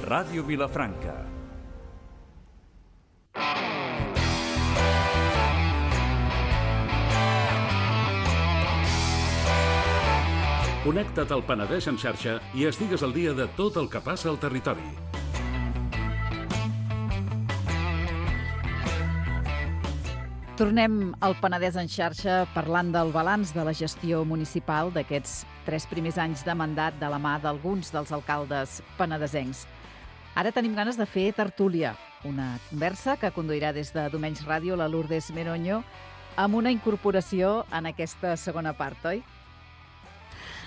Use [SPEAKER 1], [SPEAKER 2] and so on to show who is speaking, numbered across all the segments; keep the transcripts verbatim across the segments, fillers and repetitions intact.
[SPEAKER 1] Ràdio Vilafranca. Connecta't al Penedès en xarxa i estigues al dia de tot el que passa al territori.
[SPEAKER 2] Tornem al Penedès en xarxa parlant del balanç de la gestió municipal d'aquests tres primers anys de mandat de la mà d'alguns dels alcaldes penedesencs. Ara tenim ganes de fer tertúlia, una conversa que conduirà des de Domenys Ràdio la Lourdes Meroño amb una incorporació en aquesta segona part, oi?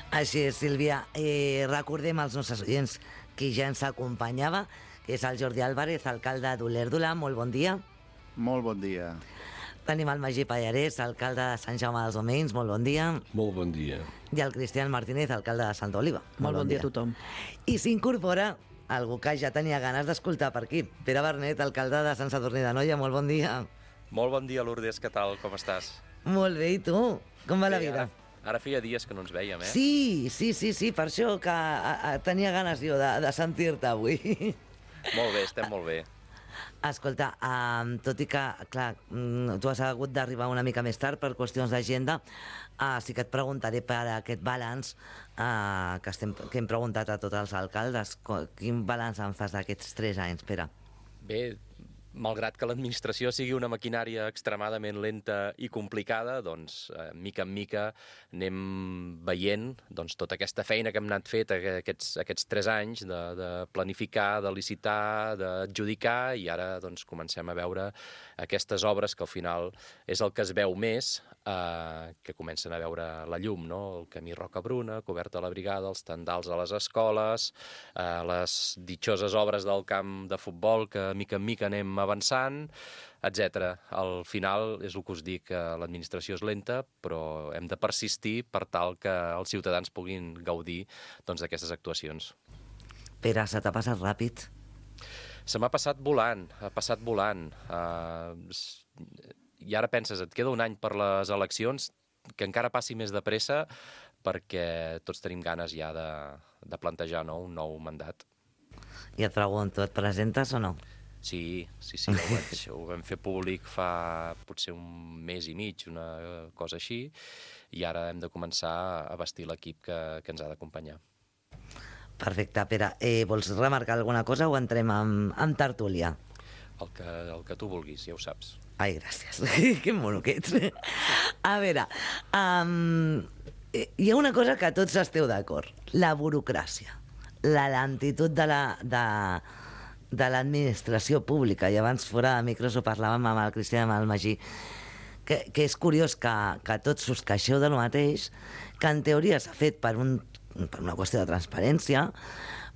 [SPEAKER 3] Així és, Sílvia. Eh, recordem als nostres oients que ja ens acompanyava, que és el Jordi Álvarez, alcalde d'Olèrdola. Molt bon dia.
[SPEAKER 4] Molt bon dia.
[SPEAKER 3] Tenim el Magí Pallarès, alcalde de Sant Jaume dels Domenys. Molt bon dia.
[SPEAKER 5] Molt bon dia.
[SPEAKER 3] I el Cristian Martínez, alcalde de Santa Oliva.
[SPEAKER 2] Molt, Molt bon, bon dia a tothom.
[SPEAKER 3] I s'incorpora algú que ja tenia ganes d'escoltar per aquí. Pere Bernet, alcalde de Sant Sadurní d'Anoia. Molt bon dia.
[SPEAKER 6] Molt bon dia, Lourdes. Què tal? Com estàs?
[SPEAKER 3] Molt bé, i tu? Com va
[SPEAKER 6] bé,
[SPEAKER 3] la vida?
[SPEAKER 6] Ara... Ara feia dies que no ens vèiem, eh?
[SPEAKER 3] Sí, sí, sí, sí, per això que a, a, tenia ganes jo de, de sentir-te avui.
[SPEAKER 6] Molt bé, estem molt bé.
[SPEAKER 3] Escolta, um, tot i que, clar, tu has hagut d'arribar una mica més tard per qüestions d'agenda, uh, sí que et preguntaré per aquest balanç uh, que, estem, que hem preguntat a tots els alcaldes. Quin balanç en fas d'aquests tres anys, Pere?
[SPEAKER 6] Bé, malgrat que l'administració sigui una maquinària extremadament lenta i complicada, doncs, eh, mica en mica anem veient doncs, tota aquesta feina que hem anat fet aquests, aquests tres anys de, de planificar, de licitar, d'adjudicar, i ara doncs, comencem a veure aquestes obres que al final és el que es veu més, eh, que comencen a veure la llum, no? El camí Rocabruna, coberta a la brigada, els tendals a les escoles, eh, les ditxoses obres del camp de futbol que mica en mica anem avançant, etcètera. Al final és el que us dic, que l'administració és lenta, però hem de persistir per tal que els ciutadans puguin gaudir doncs, d'aquestes actuacions.
[SPEAKER 3] Pere, se t'ha passat ràpid?
[SPEAKER 6] Se m'ha passat volant, ha passat volant. Uh, I ara penses, et queda un any per les eleccions, que encara passi més de pressa, perquè tots tenim ganes ja de, de plantejar no? un nou mandat.
[SPEAKER 3] I et pregunto, et presentes o no?
[SPEAKER 6] Sí, sí, sí, ho, vaig, ho vam fer públic fa potser un mes i mig, una cosa així, i ara hem de començar a vestir l'equip que, que ens ha d'acompanyar.
[SPEAKER 3] Perfecte, Pere. Eh, vols remarcar alguna cosa o entrem amb, amb tertúlia?
[SPEAKER 6] El que, el que tu vulguis, ja ho saps.
[SPEAKER 3] Ai, gràcies. Que mono que ets. A veure, um, hi ha una cosa que tots esteu d'acord. La burocràcia. La lentitud de la... De... de l'administració pública, i abans fora de micros ho parlàvem amb el Cristian i amb el Magí, que, que és curiós que, que tots us queixeu de lo mateix, que en teoria s'ha fet per, un, per una qüestió de transparència,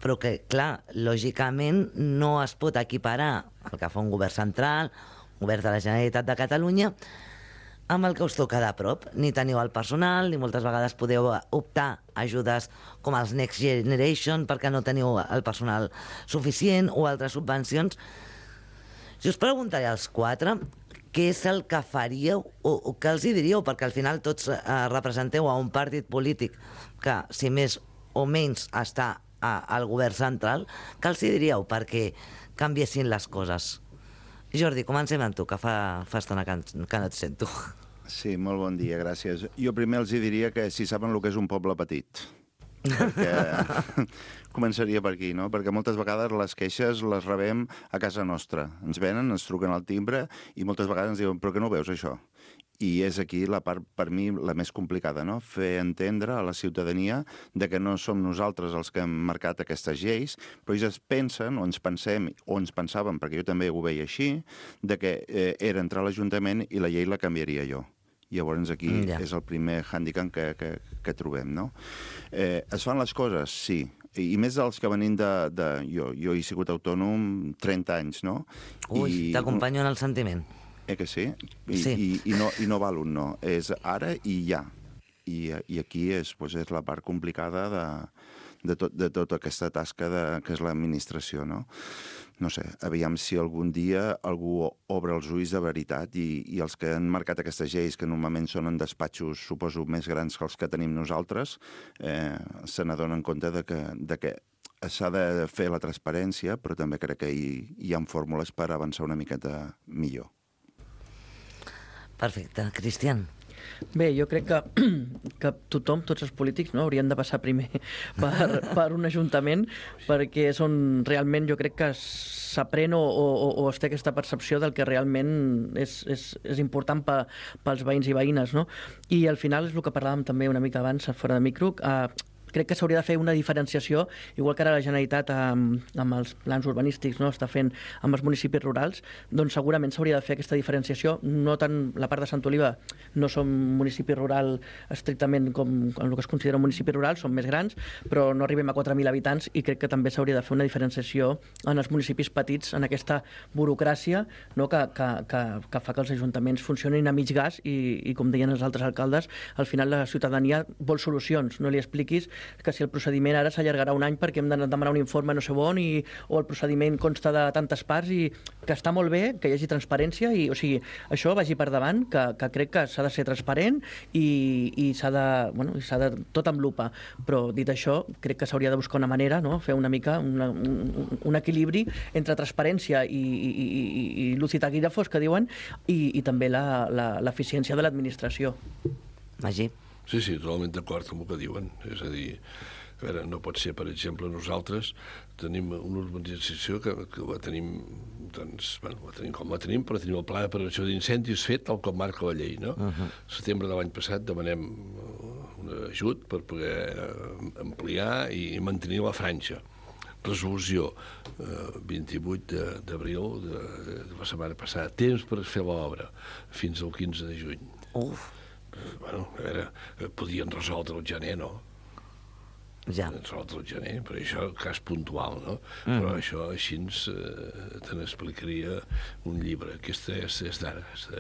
[SPEAKER 3] però que, clar, lògicament no es pot equiparar el que fa un govern central, un govern de la Generalitat de Catalunya, amb el que us toca de prop. Ni teniu el personal, ni moltes vegades podeu optar a ajudes com els Next Generation perquè no teniu el personal suficient o altres subvencions. Si us preguntaré als quatre què és el que faríeu o, o què els hi diríeu, perquè al final tots eh, representeu a un partit polític que, si més o menys, està a, al govern central, què els hi diríeu perquè canviessin les coses? Jordi, comencem amb tu, que fa, fa estona que, que no et sento.
[SPEAKER 4] Sí, molt bon dia, gràcies. Jo primer els diria que si saben el que és un poble petit. Perquè començaria per aquí, no? Perquè moltes vegades les queixes les rebem a casa nostra. Ens venen, ens truquen al timbre i moltes vegades ens diuen, però que no veus això? I és aquí la part, per mi, la més complicada, no? Fer entendre a la ciutadania de que no som nosaltres els que hem marcat aquestes lleis, però ells es pensen, o ens pensem, o ens pensàvem, perquè jo també ho veia així, de que eh, era entrar a l'Ajuntament i la llei la canviaria jo. Llavors aquí mm, yeah. és el primer hàndicap que, que, que trobem, no? Eh, es fan les coses? Sí. I més dels que venim de... de jo, jo he sigut autònom trenta anys, no?
[SPEAKER 3] Ui, I... t'acompanyo en el sentiment.
[SPEAKER 4] Eh que sí? I,
[SPEAKER 3] sí.
[SPEAKER 4] I, i, no, i no val un no. És ara i ja. I, i aquí és, doncs, és la part complicada de, de, tot, de tota aquesta tasca de, que és l'administració, no? No sé, aviam si algun dia algú obre els ulls de veritat i, i els que han marcat aquestes lleis, que normalment són en despatxos, suposo, més grans que els que tenim nosaltres, eh, se n'adonen compte de que, de que s'ha de fer la transparència, però també crec que hi, hi ha fórmules per avançar una miqueta millor.
[SPEAKER 3] Perfecte. Cristian?
[SPEAKER 5] Bé, jo crec que, que tothom, tots els polítics, no, haurien de passar primer per, per un ajuntament, perquè és on realment jo crec que s'aprèn o, o, o es té aquesta percepció del que realment és, és, és important pe, pels veïns i veïnes, no? I al final és el que parlàvem també una mica abans, fora de micro, eh, crec que s'hauria de fer una diferenciació, igual que ara la Generalitat amb, amb els plans urbanístics no, està fent amb els municipis rurals, doncs segurament s'hauria de fer aquesta diferenciació. No tant la part de Sant Oliva, no som municipi rural estrictament com el que es considera un municipi rural, som més grans, però no arribem a quatre mil habitants i crec que també s'hauria de fer una diferenciació en els municipis petits, en aquesta burocràcia no, que, que, que, que fa que els ajuntaments funcionin a mig gas i, i com deien els altres alcaldes, al final la ciutadania vol solucions, no li expliquis que si el procediment ara s'allargarà un any perquè hem de demanar un informe no sé on i, o el procediment consta de tantes parts i que està molt bé que hi hagi transparència i, o sigui, això vagi per davant, que, que crec que s'ha de ser transparent i, i s'ha de, bueno, s'ha de tot amb lupa, però dit això, crec que s'hauria de buscar una manera, no? Fer una mica una, un, un equilibri entre transparència i, i, i, i luz i taquígrafos, que diuen, i, i també l'eficiència de l'administració.
[SPEAKER 3] Magí?
[SPEAKER 7] Sí, sí, totalment d'acord amb el que diuen. És a dir, a veure, no pot ser, per exemple, nosaltres tenim una urbanització que, que la tenim, doncs, bueno, la tenim com la tenim, però tenim el pla de prevenció d'incendis fet tal com marca la llei, no? Uh-huh. Setembre de l'any passat demanem un ajut per poder ampliar i mantenir la franja. Resolució eh, vint-i-vuit d'abril de, de la setmana passada. Temps per fer l'obra fins al quinze de juny.
[SPEAKER 3] Uf!
[SPEAKER 7] Bueno, a veure, podien resoldre el gener, no?
[SPEAKER 3] Ja.
[SPEAKER 7] Resoldre el gener, però això cas puntual, no? Mm. Però això així eh, te n'explicaria un llibre. Aquesta és, és d'ara. De...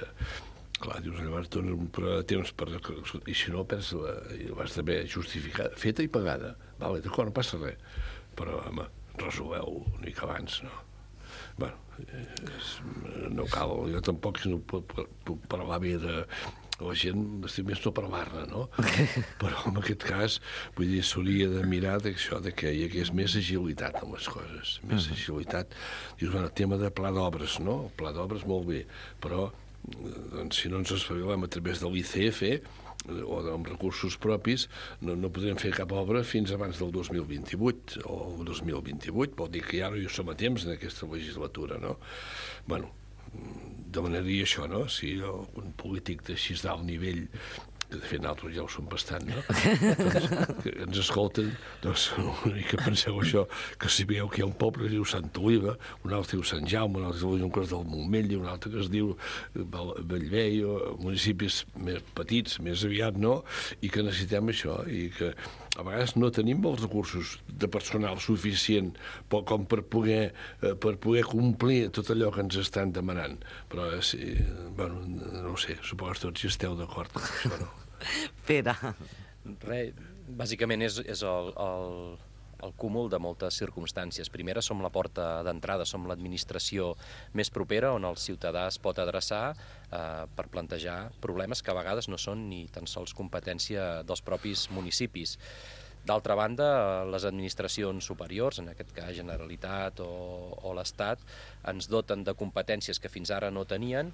[SPEAKER 7] Clar, dius, llavors dones un període de temps per... I si no, perds la... l'has d'haver justificada, feta i pagada. Vale, d'acord, no passa res. Però, home, resoleu una mica abans, no? Bueno, és... no cal, jo tampoc no puc, puc parlar bé de... La gent estic més no parlar-ne, no? Però en aquest cas, vull dir, s'hauria de mirar d'això, de que hi hagués més agilitat en les coses, més uh-huh. agilitat. Dius, bueno, tema de pla d'obres, no? El pla d'obres molt bé, però doncs, si no ens espavilem a través de l'I C F o amb recursos propis, no, no podrem fer cap obra fins abans del dos mil vint-i-vuit o el dos mil vint-i-vuit, vol dir que ja no hi som a temps en aquesta legislatura, no? Bueno, demanaria això, no? Si algun polític d'així d'alt nivell, que de fet nosaltres ja ho som bastant, no? Doncs, que ens escolten, doncs una mica penseu això, que si veieu que hi ha un poble que es diu Santa Oliva, un altre diu Sant Jaume, un altre diu un cos del Montmell, un altre que es diu Bellvei, municipis més petits, més aviat, no? I que necessitem això, i que a vegades no tenim els recursos de personal suficient com per poder, per poder complir tot allò que ens estan demanant. Però, sí, bueno, no ho sé, suposo que tots hi esteu d'acord amb això, no?
[SPEAKER 3] Pere.
[SPEAKER 6] Res, bàsicament és, és el, el, el cúmul de moltes circumstàncies. Primera, som la porta d'entrada, som l'administració més propera on el ciutadà es pot adreçar eh, per plantejar problemes que a vegades no són ni tan sols competència dels propis municipis. D'altra banda, les administracions superiors, en aquest cas Generalitat o, o l'Estat, ens doten de competències que fins ara no tenien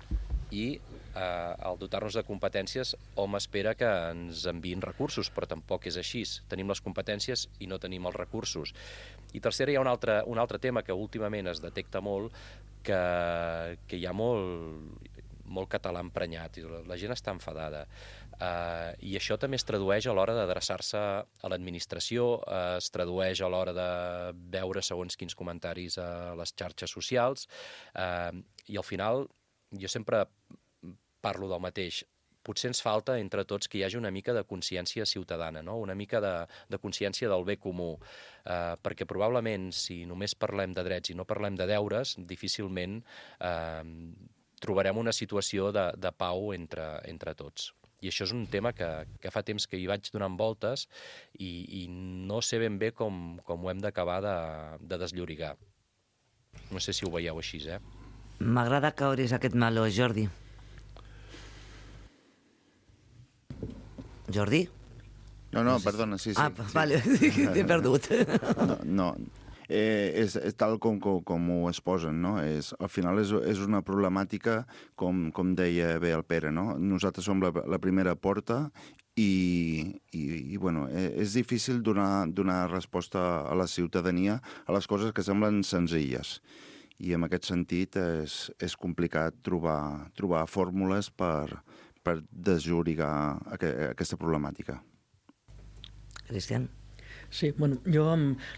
[SPEAKER 6] i eh, al dotar-nos de competències hom espera que ens enviïn recursos, però tampoc és així. Tenim les competències i no tenim els recursos. I tercera, hi ha un altre, un altre tema que últimament es detecta molt, que, que hi ha molt, molt català emprenyat, i la gent està enfadada. Uh, I això també es tradueix a l'hora d'adreçar-se a l'administració, uh, es tradueix a l'hora de veure segons quins comentaris a les xarxes socials, uh, i al final jo sempre parlo del mateix. Potser ens falta entre tots que hi hagi una mica de consciència ciutadana, no? Una mica de, de consciència del bé comú, uh, perquè probablement si només parlem de drets i no parlem de deures, difícilment uh, trobarem una situació de, de pau entre, entre tots. I això és un tema que, que fa temps que hi vaig donant voltes i, i no sé ben bé com, com ho hem d'acabar de, de desllorigar. No sé si ho veieu així, eh?
[SPEAKER 3] M'agrada que obris aquest meló, Jordi. Jordi?
[SPEAKER 4] No, no, perdona, sí, sí.
[SPEAKER 3] Ah,
[SPEAKER 4] sí.
[SPEAKER 3] vale, t'he perdut.
[SPEAKER 4] No, no. Eh, és, és tal com, com, com ho exposen, no? És, al final és, és una problemàtica, com, com deia bé el Pere, no? Nosaltres som la, la primera porta i, i, i bueno, és difícil donar, donar resposta a la ciutadania a les coses que semblen senzilles. I en aquest sentit és, és complicat trobar, trobar fórmules per, per desllorigar aqu aquesta problemàtica.
[SPEAKER 3] Cristian?
[SPEAKER 5] Sí, bueno, jo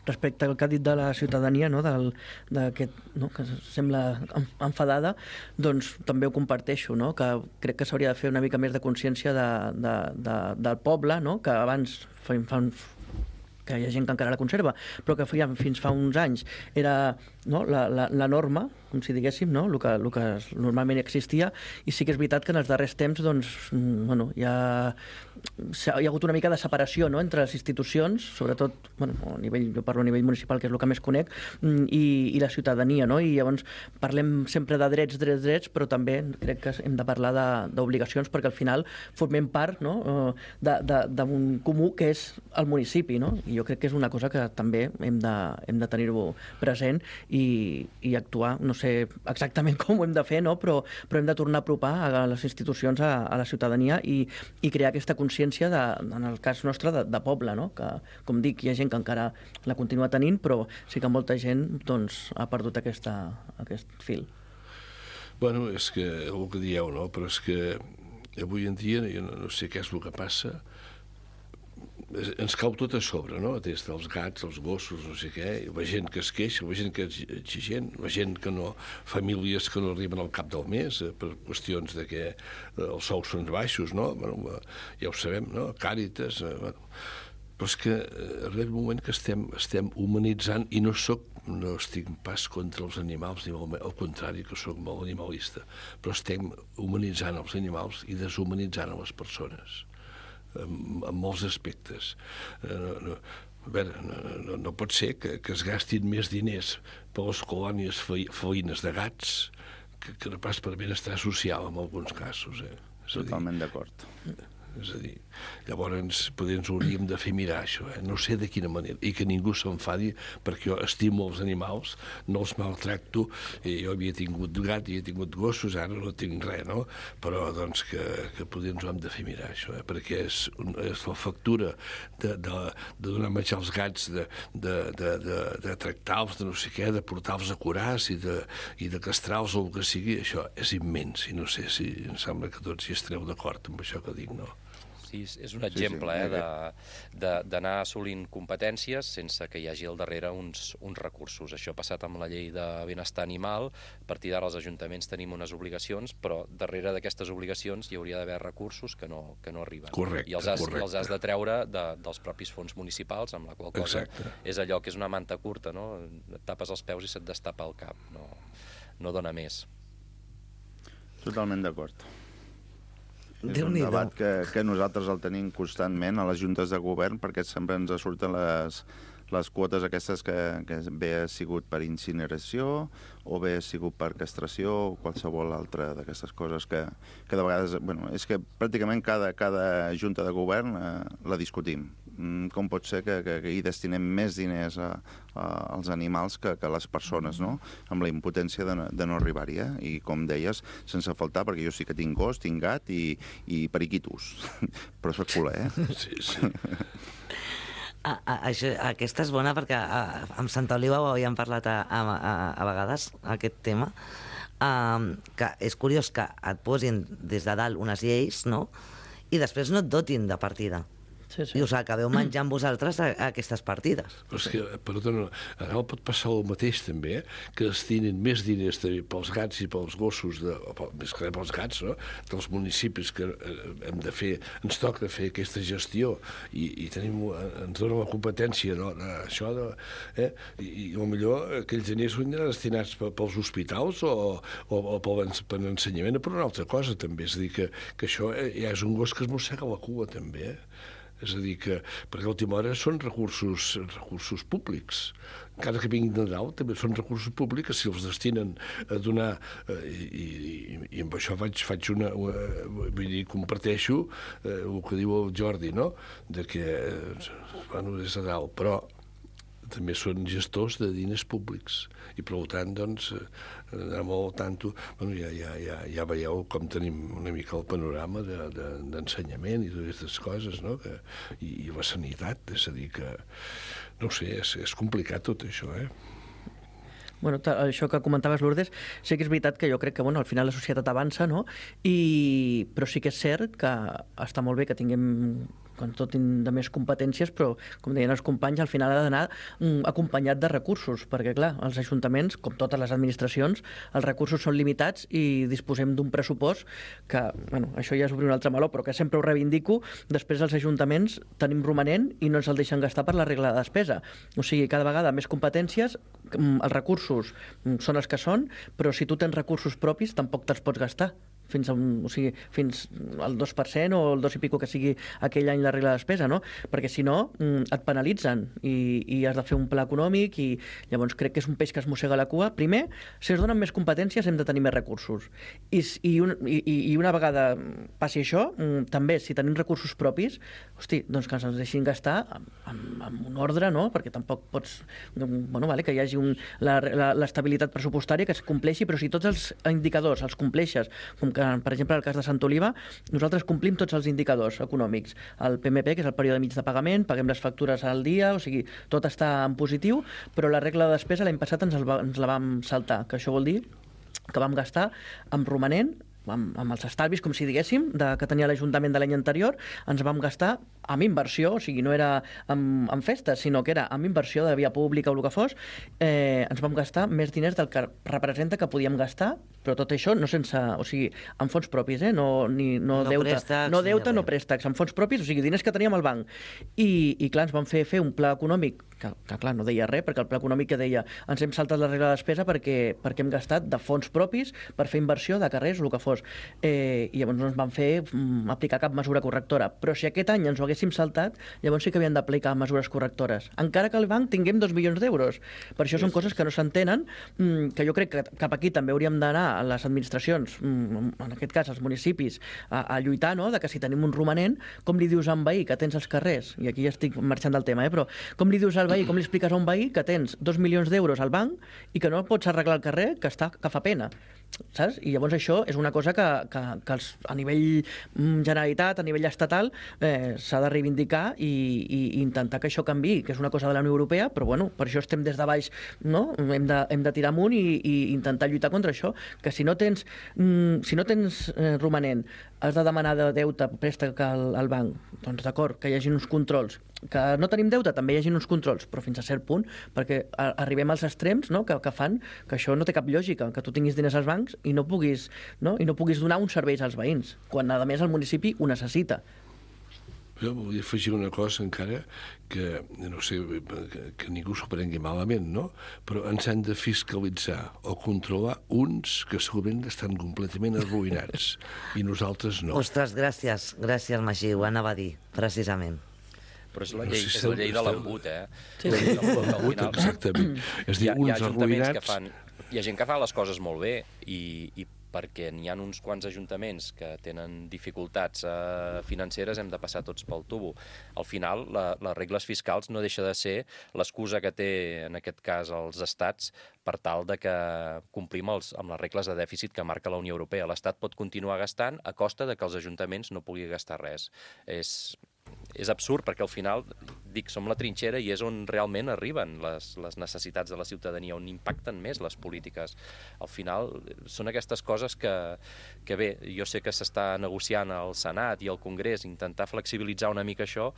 [SPEAKER 5] respecte al que ha dit de la ciutadania, no, del, no, que sembla enfadada, doncs també ho comparteixo, no, que crec que s'hauria de fer una mica més de consciència de, de, de, del poble, no, que abans fa, fa uns que hi ha gent que encara la conserva, però que feia, fins fa uns anys era, no, la, la, la norma, com si diguéssim, no, el que, el que normalment existia, i sí que és veritat que en els darrers temps doncs, bueno, hi, ha, hi ha hagut una mica de separació, no, entre les institucions, sobretot, bueno, a nivell, jo parlo a nivell municipal, que és el que més conec, i, i la ciutadania, no? I llavors parlem sempre de drets, drets, drets, però també crec que hem de parlar d'obligacions, perquè al final formem part, no, d'un comú que és el municipi, no? I jo crec que és una cosa que també hem de, hem de tenir-ho present i, i actuar, no sé exactament com ho hem de fer, no? però, però hem de tornar a apropar a les institucions a, a la ciutadania i, i crear aquesta consciència, de, en el cas nostre, de, de poble, no? Que, com dic, hi ha gent que encara la continua tenint, però sí que molta gent doncs, ha perdut aquesta, aquest fil.
[SPEAKER 7] Bueno, és que el que dieu, no? Però és que avui en dia, jo no, no sé què és el que passa, ens cau tot a sobre, no? Des dels gats, els gossos, no sé què, la gent que es queixa, la gent que és exigent, la gent que no, famílies que no arriben al cap del mes eh, per qüestions de que eh, els sous són baixos, no? Bueno, ja ho sabem, no? Càritas, eh, bueno. Però és que eh, arriba un moment que estem, estem humanitzant, i no soc, no estic pas contra els animals, ni al, al contrari, que soc molt animalista, però estem humanitzant els animals i deshumanitzant a les persones. En, en molts aspectes. No, no, a veure, no, no, no pot ser que, que es gastin més diners per les colònies felines de gats que, que no pas per benestar social en alguns casos. Eh?
[SPEAKER 4] Totalment d'acord.
[SPEAKER 7] És a dir, llavors potser ens hauríem de fer mirar això, eh? No sé de quina manera, i que ningú s'enfadi, perquè jo estimo els animals, no els maltracto, i jo havia tingut gat, havia tingut gossos, ara no tinc res, no? Però doncs que, que potser ens ho hem de fer mirar això, eh? Perquè és, és la factura de, de, de donar menjar als gats, de, de, de, de, de tractar-los, de no sé què, de portar-los a curars i de, i de castrar-los o el que sigui, això és immens, i no sé si em sembla que tots hi estareu d'acord amb això que dic, no?
[SPEAKER 6] Sí, és un exemple sí, sí. eh, d'anar assolint competències sense que hi hagi al darrere uns, uns recursos. Això ha passat amb la llei de benestar animal. A partir d'ara els ajuntaments tenim unes obligacions, però darrere d'aquestes obligacions hi hauria d'haver recursos que no, que no arriben.
[SPEAKER 7] Correcte,
[SPEAKER 6] I els has,
[SPEAKER 7] correcte.
[SPEAKER 6] I els has de treure de, dels propis fons municipals, amb la qual cosa Exacte. És allò que és una manta curta, no? Et tapes els peus i se't destapa el cap. No, no dona més.
[SPEAKER 4] Totalment d'acord. És un debat que, que nosaltres el tenim constantment a les juntes de govern, perquè sempre ens surten les, les quotes aquestes que, que bé ha sigut per incineració o bé ha sigut per castració o qualsevol altra d'aquestes coses que, que de vegades... Bueno, és que pràcticament cada, cada junta de govern eh, la discutim. Com pot ser que, que, que hi destinem més diners a, a, als animals que, que a les persones, no? Amb la impotència de no, de no arribar-hi, eh? I com deies, sense faltar, perquè jo sí que tinc gos, tinc gat i, i periquitos. Però soc culer, eh?
[SPEAKER 7] Sí, sí.
[SPEAKER 3] A, a, això, aquesta és bona perquè a, amb Santa Oliva ho havíem parlat a, a, a, a vegades, aquest tema, um, que és curiós que et posin des de dalt unes lleis, no?, i després no et dotin de partida. Sí, sí. I us acabeu menjant vosaltres a, a aquestes partides.
[SPEAKER 7] Però és que, perdona, ara pot passar el mateix també, que destinin més diners també pels gats i pels gossos, de, o més que pels gats, no?, dels municipis que eh, hem de fer, ens toca fer aquesta gestió i, i tenim, ens dona la competència, no?, això de, eh, i, i potser aquells diners són destinats pels hospitals o, o, o per l'ensenyament o per una altra cosa també, és a dir que, que això ja és un gos que es mossega la cua també, eh? És a dir, que perquè a última hora són recursos, recursos públics. Encara que vinguin de dalt, també són recursos públics que si els destinen a donar, eh, i, i, i amb això faig, faig una, una... Vull dir, comparteixo eh, el que diu el Jordi, no?, de que, eh, bueno, des de dalt, però també són gestors de diners públics i per tant doncs anar molt al tanto. Bueno, ja, ja, ja, ja veieu com tenim una mica el panorama de, de, d'ensenyament i totes aquestes coses, no? Que, i, i la sanitat, és a dir que no ho sé, és, és complicat tot això, eh?
[SPEAKER 5] Bueno, això que comentaves, Lourdes, sí que és veritat que jo crec que bueno, al final la societat avança, no? I... però sí que és cert que està molt bé que tinguem com tot de més competències, però, com deien els companys, al final ha d'anar mm, acompanyat de recursos, perquè, clar, els ajuntaments, com totes les administracions, els recursos són limitats i disposem d'un pressupost que, bueno, això ja és obrir un altre meló, però que sempre ho reivindico, després els ajuntaments tenim romanent i no ens el deixen gastar per la regla de despesa. O sigui, cada vegada més competències, els recursos són els que són, però si tu tens recursos propis tampoc te'ls pots gastar fins, a un, o sigui, fins al dos per cent o el dos i pico que sigui aquell any la regla de despesa, no? Perquè si no et penalitzen i, i has de fer un pla econòmic i llavors crec que és un peix que es mossega la cua. Primer, si es donen més competències hem de tenir més recursos i, i, un, i, i una vegada passi això, també si tenim recursos propis, hosti, doncs que ens deixin gastar amb, amb, amb un ordre, no? Perquè tampoc pots... Bueno, vale, que hi hagi un, la, la, l'estabilitat pressupostària que es compleixi, però si tots els indicadors els compleixes, com que per exemple, en el cas de Sant Oliva, nosaltres complim tots els indicadors econòmics. El P M P, que és el període mig de pagament, paguem les factures al dia, o sigui, tot està en positiu, però la regla de despesa l'any passat ens, el va, ens la vam saltar, que això vol dir que vam gastar amb romanent, amb, amb els estalvis, com si diguéssim, de, que tenia l'Ajuntament de l'any anterior, ens vam gastar amb inversió, o sigui, no era amb, amb festes, sinó que era amb inversió de via pública o el que fos, eh, ens vam gastar més diners del que representa que podíem gastar, però tot això no sense, o sigui, amb fons propis, eh? no, ni, no,
[SPEAKER 3] no
[SPEAKER 5] deute,
[SPEAKER 3] préstecs,
[SPEAKER 5] no deute, no préstecs, amb fons propis, o sigui, diners que teníem al banc. I, i clar, ens van fer fer un pla econòmic, que, que clar, no deia res, perquè el pla econòmic que deia ens hem saltat la regla de despesa perquè, perquè hem gastat de fons propis per fer inversió de carrers o el que fos. Eh, I llavors no ens van fer mm, aplicar cap mesura correctora. Però si aquest any ens ho haguéssim saltat, llavors sí que havien d'aplicar mesures correctores. Encara que al banc tinguem dos milions d'euros. Per això són coses que no s'entenen, mm, que jo crec que cap aquí també hauríem d'anar a les administracions, mm, en aquest cas als municipis, a, a lluitar, no?, de que si tenim un romanent, com li dius a un veí que tens els carrers, i aquí ja estic marxant del tema, eh, però com li dius al veí, com li expliques a un veí que tens dos milions d'euros al banc i que no pots arreglar el carrer, que, està, que fa pena, saps? I llavors això és una cosa que, que, que els, a nivell Generalitat, a nivell estatal, eh, s'ha de reivindicar i, i intentar que això canvi, que és una cosa de la Unió Europea, però bueno, per això estem des de baix, no? Hem de, hem de tirar amunt i, i intentar lluitar contra això, que si no tens, mm, si no tens eh, romanent, has de demanar de deute, préstec al, al banc, doncs d'acord, que hi hagi uns controls. Que no tenim deute, també hi hagi uns controls, però fins a cert punt, perquè a, arribem als extrems, no?, que, que fan que això no té cap lògica, que tu tinguis diners als bancs i no puguis, no? I no puguis donar uns serveis als veïns, quan a més el municipi ho necessita.
[SPEAKER 7] Jo volia afegir una cosa encara que, no sé, que, que ningú s'ho prengui malament, no? Però ens han de fiscalitzar o controlar uns que segurament estan completament arruïnats i nosaltres no.
[SPEAKER 3] Ostres, gràcies, gràcies, Magí, ho anava a dir, precisament.
[SPEAKER 6] Però és la llei, és la llei de l'embut, eh?
[SPEAKER 5] Sí.
[SPEAKER 6] La llei de l'embut, al final.
[SPEAKER 7] Exactament. És dir,
[SPEAKER 6] hi ha,
[SPEAKER 7] uns
[SPEAKER 6] hi ha ajuntaments
[SPEAKER 7] arruïnats...
[SPEAKER 6] que fan... Hi ha gent que fa les coses molt bé i, i perquè n'hi ha uns quants ajuntaments que tenen dificultats eh, financeres, hem de passar tots pel tubo. Al final, la, les regles fiscals no deixa de ser l'excusa que té, en aquest cas, els estats per tal de que complim els, amb les regles de dèficit que marca la Unió Europea. L'Estat pot continuar gastant a costa de que els ajuntaments no puguin gastar res. És... És absurd, perquè al final, dic, som la trinxera i és on realment arriben les, les necessitats de la ciutadania, on impacten més les polítiques. Al final, són aquestes coses que, que bé, jo sé que s'està negociant al Senat i al Congrés, intentar flexibilitzar una mica això,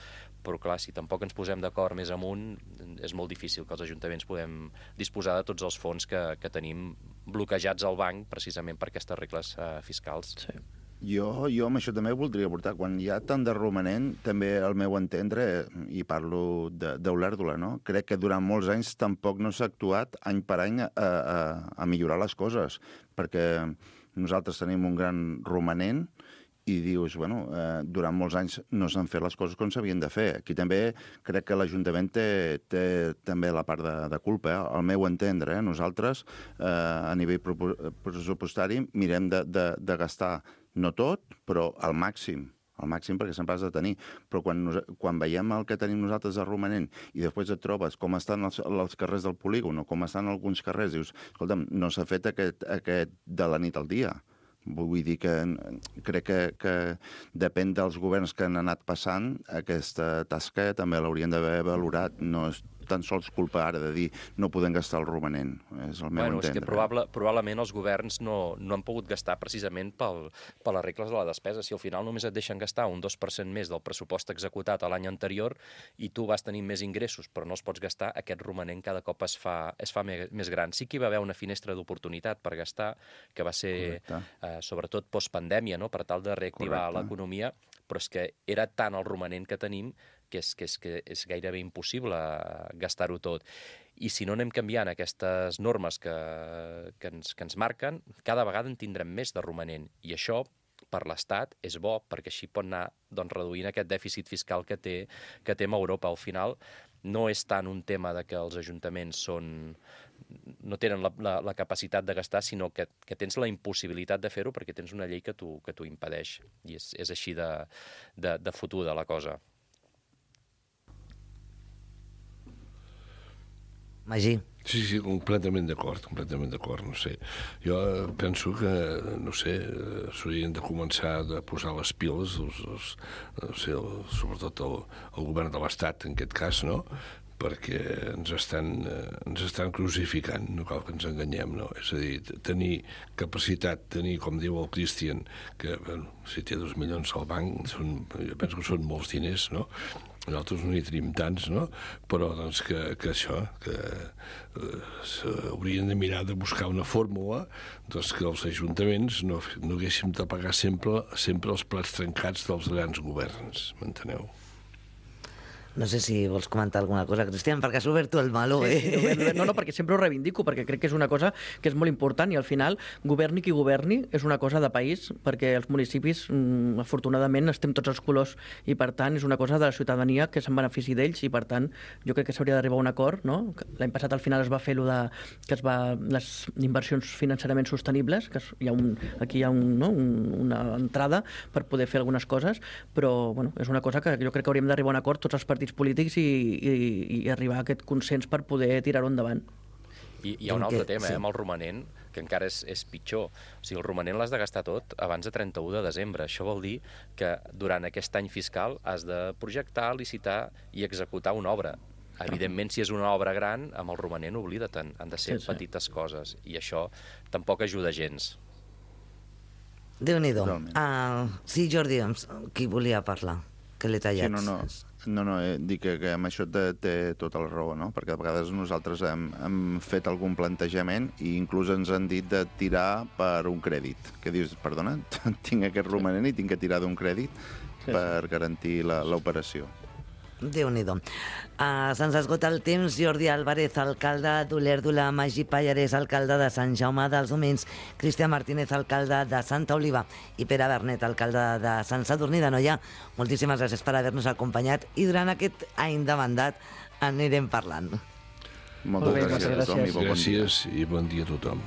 [SPEAKER 6] però clar, si tampoc ens posem d'acord més amunt, és molt difícil que els ajuntaments podem disposar de tots els fons que, que tenim bloquejats al banc, precisament per aquestes regles eh, fiscals.
[SPEAKER 5] Sí.
[SPEAKER 4] Jo, jo amb això també voldria aportar. Quan hi ha tant de romanent, també al meu entendre, i parlo d'Olèrdola, no? Crec que durant molts anys tampoc no s'ha actuat any per any a, a, a millorar les coses, perquè nosaltres tenim un gran romanent i dius, bueno, eh, durant molts anys no s'han fet les coses com s'havien de fer. Aquí també crec que l'Ajuntament té, té també la part de, de culpa, eh? Al meu entendre. Eh? Nosaltres, eh, a nivell pressupostari, mirem de, de, de gastar no tot, però al màxim, al màxim perquè sempre has de tenir. Però quan, nos, quan veiem el que tenim nosaltres de romanent i després et trobes com estan els, els carrers del polígon o com estan alguns carrers, dius, escolta'm, no s'ha fet aquest, aquest de la nit al dia. Vull dir que crec que, que depèn dels governs que han anat passant, aquesta tasca també l'haurien d'haver valorat. No és tan sols culpa ara de dir no podem gastar el romanent. És el meu
[SPEAKER 6] bueno,
[SPEAKER 4] entendre.
[SPEAKER 6] És que probable, probablement els governs no, no han pogut gastar precisament pel, per les regles de la despesa. Si al final només et deixen gastar un dos per cent més del pressupost executat l'any anterior i tu vas tenir més ingressos però no els pots gastar, aquest romanent cada cop es fa, es fa més gran. Sí que hi va haver una finestra d'oportunitat per gastar, que va ser eh, sobretot postpandèmia, no? Per tal de reactivar l'economia, però és que era tant el romanent que tenim que és, que és, que és gairebé impossible gastar-ho tot. I si no anem canviant aquestes normes que, que, ens, que ens marquen, cada vegada en tindrem més de romanent. I això, per l'Estat, és bo, perquè així pot anar doncs, reduint aquest dèficit fiscal que té, que té Europa. Al final, no és tant un tema de que els ajuntaments són... no tenen la, la, la capacitat de gastar, sinó que, que tens la impossibilitat de fer-ho perquè tens una llei que t'ho que t'ho impedeix. I és, és així de, de, de fotuda la cosa.
[SPEAKER 3] Magí.
[SPEAKER 7] Sí, sí, completament d'acord, completament d'acord, no sé. Jo penso que, no sé, s'haurien de començar a posar les piles, els, els, no sé, el, sobretot el, el govern de l'Estat, en aquest cas, no?, perquè ens estan, ens estan crucificant, no cal que ens enganyem, no? És a dir, tenir capacitat, tenir, com diu el Cristian, que bueno, si té dos milions al banc, són, jo penso que són molts diners, no? Nosaltres no hi tenim tants, no? Però doncs que, que això, que eh, haurien de mirar de buscar una fórmula doncs que els ajuntaments no, no haguéssim de pagar sempre, sempre els plats trencats dels grans governs, m'enteneu?
[SPEAKER 3] No sé si vols comentar alguna cosa, Cristian, perquè has obert tu el meló, eh?
[SPEAKER 5] Sí, sí, no, no, perquè sempre ho reivindico, perquè crec que és una cosa que és molt important i al final, governi qui governi, és una cosa de país, perquè els municipis, mm, afortunadament, estem tots els colors i, per tant, és una cosa de la ciutadania que se'n benefici d'ells i, per tant, jo crec que s'hauria d'arribar a un acord, no? L'any passat, al final, es va fer lo de, que es va, les inversions financerament sostenibles, que hi ha un, aquí hi ha un, no? un, una entrada per poder fer algunes coses, però, bueno, és una cosa que jo crec que hauríem d'arribar a un acord tots els partits polítics i, i, i arribar a aquest consens per poder tirar-ho endavant.
[SPEAKER 6] I hi ha un altre tema, eh, amb el romanent, que encara és, és pitjor. O sigui, el romanent l'has de gastar tot abans de trenta-u de desembre. Això vol dir que durant aquest any fiscal has de projectar, licitar i executar una obra. Evidentment, si és una obra gran, amb el romanent oblida't, han de ser sí, sí. petites coses. I això tampoc ajuda gens.
[SPEAKER 3] Déu-n'hi-do. Uh, sí, Jordi, qui volia parlar? Que l'he tallat.
[SPEAKER 4] Sí, no, no. No, no, eh, dic que, que amb això té, té tota la raó, no? Perquè a vegades nosaltres hem, hem fet algun plantejament i inclús ens han dit de tirar per un crèdit. Que dius, perdona, tinc aquest romanent i tinc que tirar d'un crèdit sí, per sí. garantir l'operació.
[SPEAKER 3] Déu-n'hi-do. Uh, Se'ns esgota el temps. Jordi Álvarez, alcalde d'Olèrdola, Magí Pallarès, alcalde de Sant Jaume dels Domenys, Cristian Martínez, alcalde de Santa Oliva i Pere Bernet, alcalde de Sant Sadurní d'Anoia. Moltíssimes gràcies per haver-nos acompanyat i durant aquest any de mandat anirem parlant.
[SPEAKER 4] Moltes bé, gràcies, gràcies a tothom i bon
[SPEAKER 7] gràcies dia. I bon dia a tothom.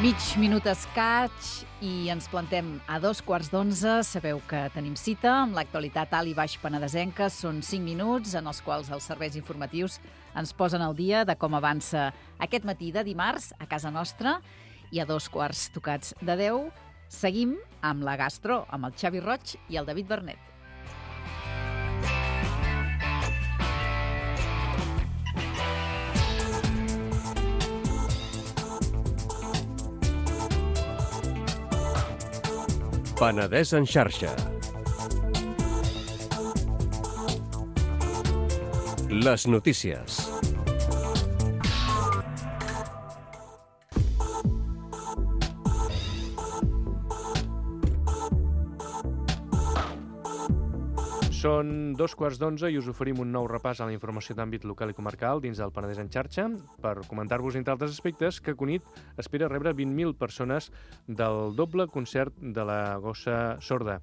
[SPEAKER 2] Mig minut escaig i ens plantem a dos quarts d'onze. Sabeu que tenim cita amb l'actualitat alt i baix penedesenca. Són cinc minuts en els quals els serveis informatius ens posen al dia de com avança aquest matí de dimarts a casa nostra. I a dos quarts tocats de deu seguim amb la gastro, amb el Xavi Roig i el David Bernet.
[SPEAKER 8] Penedès en xarxa. Les notícies.
[SPEAKER 9] Són dos quarts d'onze i us oferim un nou repàs a la informació d'àmbit local i comarcal dins del Penedès en xarxa per comentar-vos, entre altres aspectes, que Cunit espera rebre vint mil persones del doble concert de la Gossa Sorda.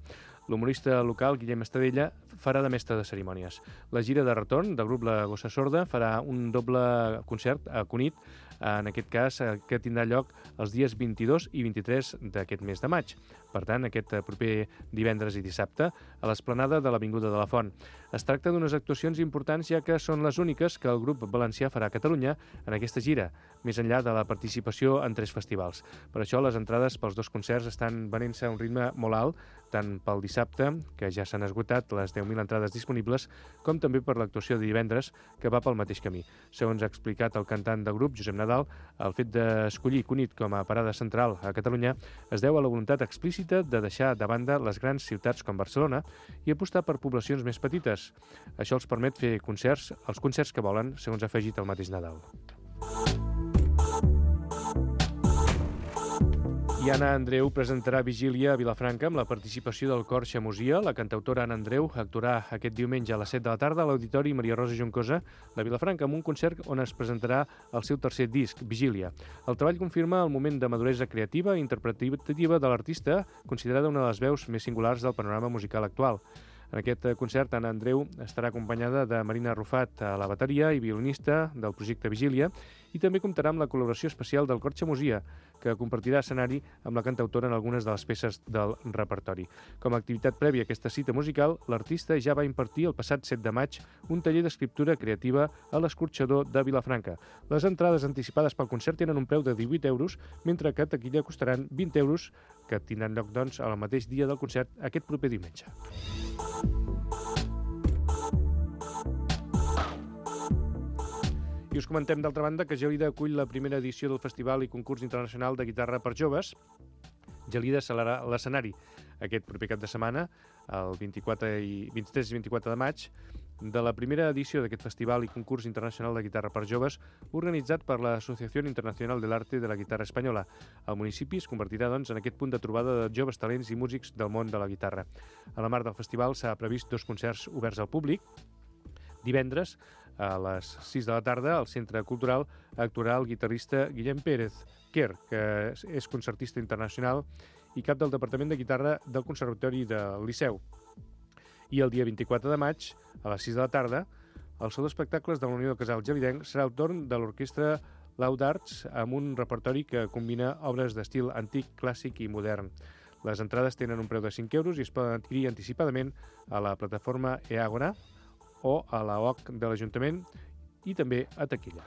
[SPEAKER 9] L'humorista local, Guillem Estadella, farà de mestre de cerimònies. La gira de retorn del grup La Gossa Sorda farà un doble concert a Cunit, en aquest cas, que tindrà lloc els dies vint-i-dos i vint-i-tres d'aquest mes de maig. Per tant, aquest proper divendres i dissabte, a l'esplanada de l'Avinguda de la Font. Es tracta d'unes actuacions importants, ja que són les úniques que el grup valencià farà a Catalunya en aquesta gira, més enllà de la participació en tres festivals. Per això, les entrades pels dos concerts estan venent-se a un ritme molt alt, tant pel dissabte, que ja s'han esgotat les deu mil entrades disponibles, com també per l'actuació de divendres, que va pel mateix camí. Segons ha explicat el cantant del grup, Josep Nadal, el fet d'escollir Cunit com a parada central a Catalunya es deu a la voluntat explícita de deixar de banda les grans ciutats com Barcelona i apostar per poblacions més petites. Això els permet fer concerts, els concerts que volen, segons ha afegit el mateix Nadal. I Anna Andreu presentarà Vigília a Vilafranca amb la participació del cor Xamosia. La cantautora Anna Andreu actuarà aquest diumenge a les set de la tarda a l'Auditori Maria Rosa Juncosa de Vilafranca amb un concert on es presentarà el seu tercer disc, Vigília. El treball confirma el moment de maduresa creativa i interpretativa de l'artista, considerada una de les veus més singulars del panorama musical actual. En aquest concert, Anna Andreu estarà acompanyada de Marina Rufat a la bateria i violinista del projecte Vigília, i també comptarà amb la col·laboració especial del cor Xamosia, que compartirà escenari amb la cantautora en algunes de les peces del repertori. Com a activitat prèvia a aquesta cita musical, l'artista ja va impartir el passat set de maig un taller d'escriptura creativa a l'Escorxador de Vilafranca. Les entrades anticipades pel concert tenen un preu de divuit euros, mentre que a taquilla costaran vint euros, que tindran lloc, doncs, al mateix dia del concert aquest proper diumenge. I us comentem, d'altra banda, que Gelida acull la primera edició del Festival i Concurs Internacional de Guitarra per Joves. Gelida serà l'escenari aquest proper cap de setmana, el vint-i-quatre i vint-i-tres i vint-i-quatre de maig, de la primera edició d'aquest Festival i Concurs Internacional de Guitarra per Joves, organitzat per l'Associació Internacional de l'Arte de la Guitarra Espanyola. El municipi es convertirà, doncs, en aquest punt de trobada de joves talents i músics del món de la guitarra. A la marc del festival s'ha previst dos concerts oberts al públic. Divendres, a les sis de la tarda, al Centre Cultural actuarà el guitarrista Guillem Pérez Quer, que és concertista internacional i cap del Departament de Guitarra del Conservatori del Liceu. I el dia vint-i-quatre de maig, a les sis de la tarda, al Saló d'Espectacles de la Unió de Casals Gelidenc serà el torn de l'orquestra Loud Arts amb un repertori que combina obres d'estil antic, clàssic i modern. Les entrades tenen un preu de cinc euros i es poden adquirir anticipadament a la plataforma eAgora o a la O C de l'Ajuntament i també a taquilla.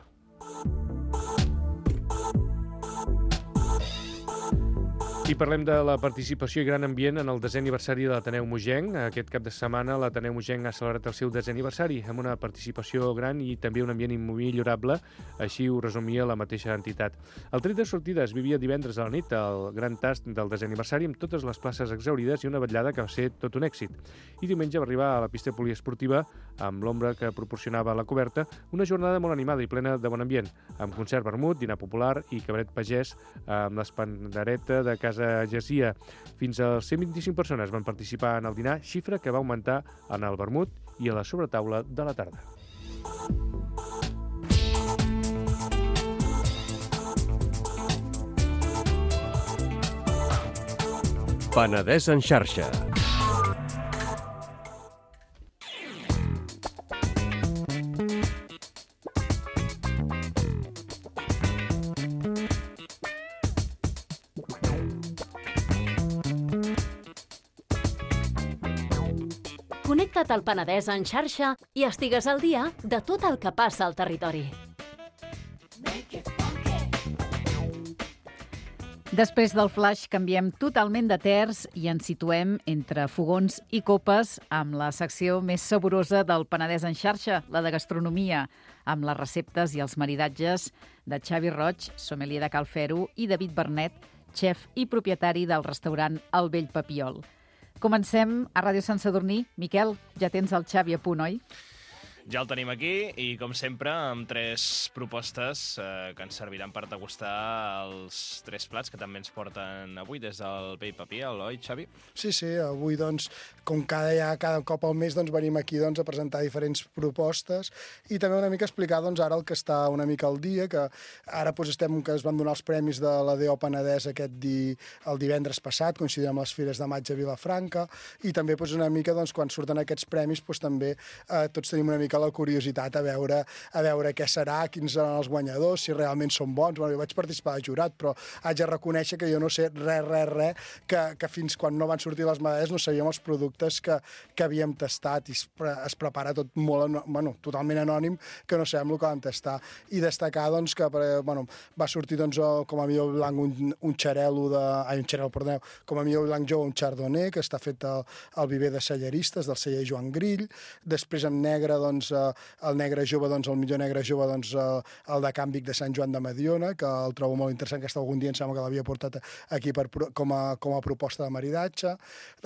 [SPEAKER 9] I parlem de la participació i gran ambient en el desè aniversari de l'Ateneu Mogenc. Aquest cap de setmana l'Ateneu Mogenc ha celebrat el seu desè aniversari amb una participació gran i també un ambient immillorable, així ho resumia la mateixa entitat. El tret de sortida es vivia divendres a la nit, el gran tast del desè aniversari amb totes les places exaurides i una vetllada que va ser tot un èxit. I diumenge va arribar a la pista poliesportiva, amb l'ombra que proporcionava la coberta, una jornada molt animada i plena de bon ambient, amb concert vermut, dinar popular i cabaret pagès amb l'espandareta de Casa Gesia. Fins a cent vint-i-cinc persones van participar en el dinar, xifra que va augmentar en el vermut i a la sobretaula de la tarda.
[SPEAKER 8] Penedès en xarxa.
[SPEAKER 10] Connecta't al Penedès en xarxa i estigues al dia de tot el que passa al territori.
[SPEAKER 2] Després del flash canviem totalment de terç i ens situem entre fogons i copes amb la secció més saborosa del Penedès en xarxa, la de gastronomia, amb les receptes i els maridatges de Xavi Roig, sommelier de Cal Fero, i David Bernet, xef i propietari del restaurant El Vell Papiol. Comencem a Ràdio Sant Sadurní. Miquel, ja tens el Xavi a punt, oi?
[SPEAKER 11] Ja el tenim aquí i, com sempre, amb tres propostes eh, que ens serviran per degustar els tres plats que també ens porten avui des del Pell Paper, oi, Xavi?
[SPEAKER 12] Sí, sí, avui, doncs, com cada, ja, cada cop al mes, doncs, venim aquí doncs, a presentar diferents propostes i també una mica explicar doncs, ara el que està una mica al dia, que ara doncs, estem, que es van donar els premis de la D O Penedès aquest di, el divendres passat, coincidint amb les Fires de Maig a Vilafranca, i també doncs, una mica, doncs, quan surten aquests premis, doncs, també eh, tots tenim una mica la curiositat a veure, a veure què serà, quins seran els guanyadors, si realment són bons. Bueno, jo vaig participar de jurat, però haig de reconèixer que jo no sé res, res, res, que, que fins quan no van sortir les medalles no sabíem els productes que, que havíem tastat, i es, pre, es prepara tot molt, bueno, totalment anònim, que no sabem el que vam tastar. I destacar, doncs, que bueno, va sortir, doncs, com a millor blanc un, un xarel·lo de... Ai, un xarel·lo, perdoneu, com a millor blanc jove un chardonnay, que està fet al, al viver de celleristes, del celler Joan Grill. Després, en negre, doncs, el negre jove, doncs, el millor negre jove, doncs, el de Can Vic de Sant Joan de Mediona, que el trobo molt interessant, que algun dia em sembla que l'havia portat aquí per, com, a, com a proposta de maridatge.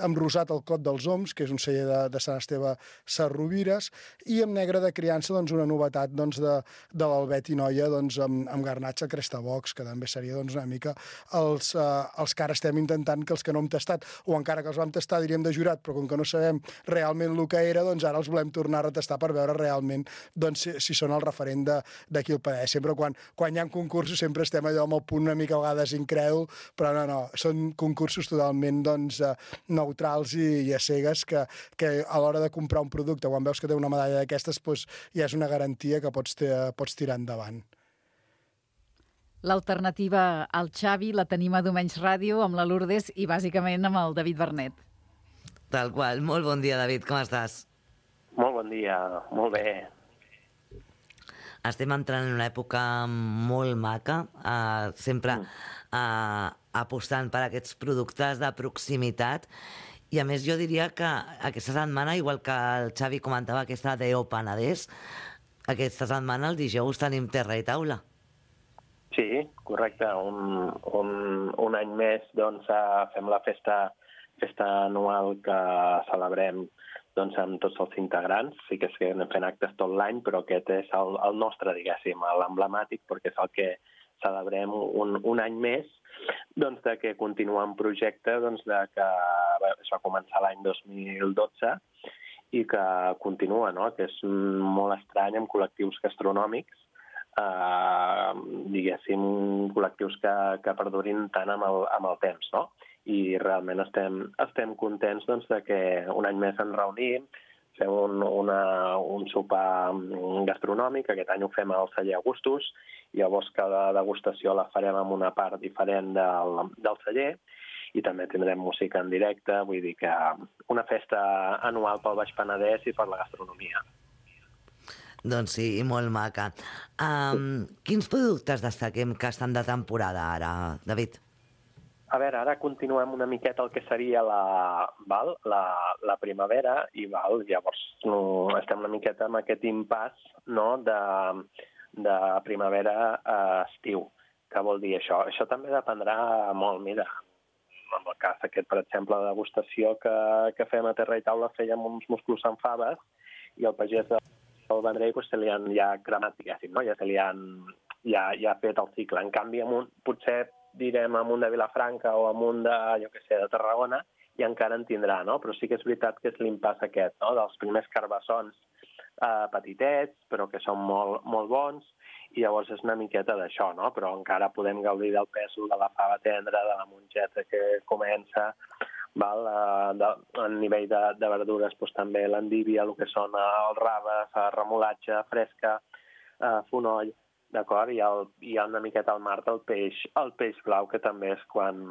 [SPEAKER 12] Amb rosat el Cot dels Oms, que és un celler de, de Sant Esteve Sarrovires, i amb negre de criança, doncs, una novetat, doncs, de, de l'Albet i Noia, doncs, amb, amb garnatge Crestabox, que també seria, doncs, una mica els, eh, els que ara estem intentant, que els que no hem tastat, o encara que els vam tastar, diríem, de jurat, però com que no sabem realment el que era, doncs ara els volem tornar a retastar per veure realment doncs, si, si són el referent d'aquí al Penedès. Sempre quan, quan hi ha concursos sempre estem allò amb el punt una mica a vegades incrèdul, però no, no, són concursos totalment doncs, neutrals i, i a cegues que, que a l'hora de comprar un producte, quan veus que té una medalla d'aquestes, doncs, ja és una garantia que pots, pots tirar endavant.
[SPEAKER 2] L'alternativa al Xavi la tenim a Domenys Ràdio amb la Lourdes i bàsicament amb el David Bernet.
[SPEAKER 3] Tal qual. Molt bon dia, David. Com estàs?
[SPEAKER 13] Molt bon dia, molt bé.
[SPEAKER 3] Estem entrant en una època molt maca, eh, sempre eh, apostant per aquests productes de proximitat, i a més jo diria que aquesta setmana, igual que el Xavi comentava aquesta D O Penedès, aquesta setmana el dijous tenim terra i taula.
[SPEAKER 13] Sí, correcte. Un, un, un any més doncs, fem la festa, festa anual que celebrem doncs, amb tots els integrants. Sí que és que anem fent actes tot l'any, però aquest és el, el nostre, diguéssim, l'emblemàtic, perquè és el que celebrem un, un any més, doncs, de que continua un projecte doncs, de que es va començar l'any dos mil dotze i que continua, no? Que és molt estrany amb col·lectius gastronòmics, eh, diguéssim, col·lectius que, que perdurin tant amb el, amb el temps, no? I realment estem, estem contents doncs, de que un any més ens reunim, fem un, una, un sopar gastronòmic, aquest any ho fem al celler Augustus, i llavors cada degustació la farem en una part diferent del, del celler, i també tindrem música en directe, vull dir que una festa anual pel Baix Penedès i per la gastronomia.
[SPEAKER 3] Doncs sí, molt maca. Um, quins productes destaquem que estan de temporada ara, David?
[SPEAKER 13] A veure, ara continuem una miqueta el que seria la, val, la, la primavera i val, llavors no, estem una miqueta amb aquest impàs, no, de, de primavera a estiu. Què vol dir això? Això també dependrà molt, mira, en el cas aquest, per exemple, la degustació que, que fem a Terra i Taula fèiem uns musclos amb faves i el pagès del Vendrell pues, se li han ja cremat, diguéssim, no? Ja se li han ja, ja fet el cicle. En canvi, amb un, potser direm amunt de Vilafranca o amunt de, jo què sé, de Tarragona, i encara en tindrà, no? Però sí que és veritat que és l'impàs aquest, no? Dels primers carbassons eh, petitets, però que són molt, molt bons, i llavors és una miqueta d'això, no? Però encara podem gaudir del pèsol de la fava tendra, de la mongeta que comença, val? Eh, de, a nivell de, de verdures, doncs, també l'endívia, el que són els raves, remolatge, fresca, eh, fonoll, d'acord? I hi ha una miqueta al mar el peix, el peix blau, que també és quan,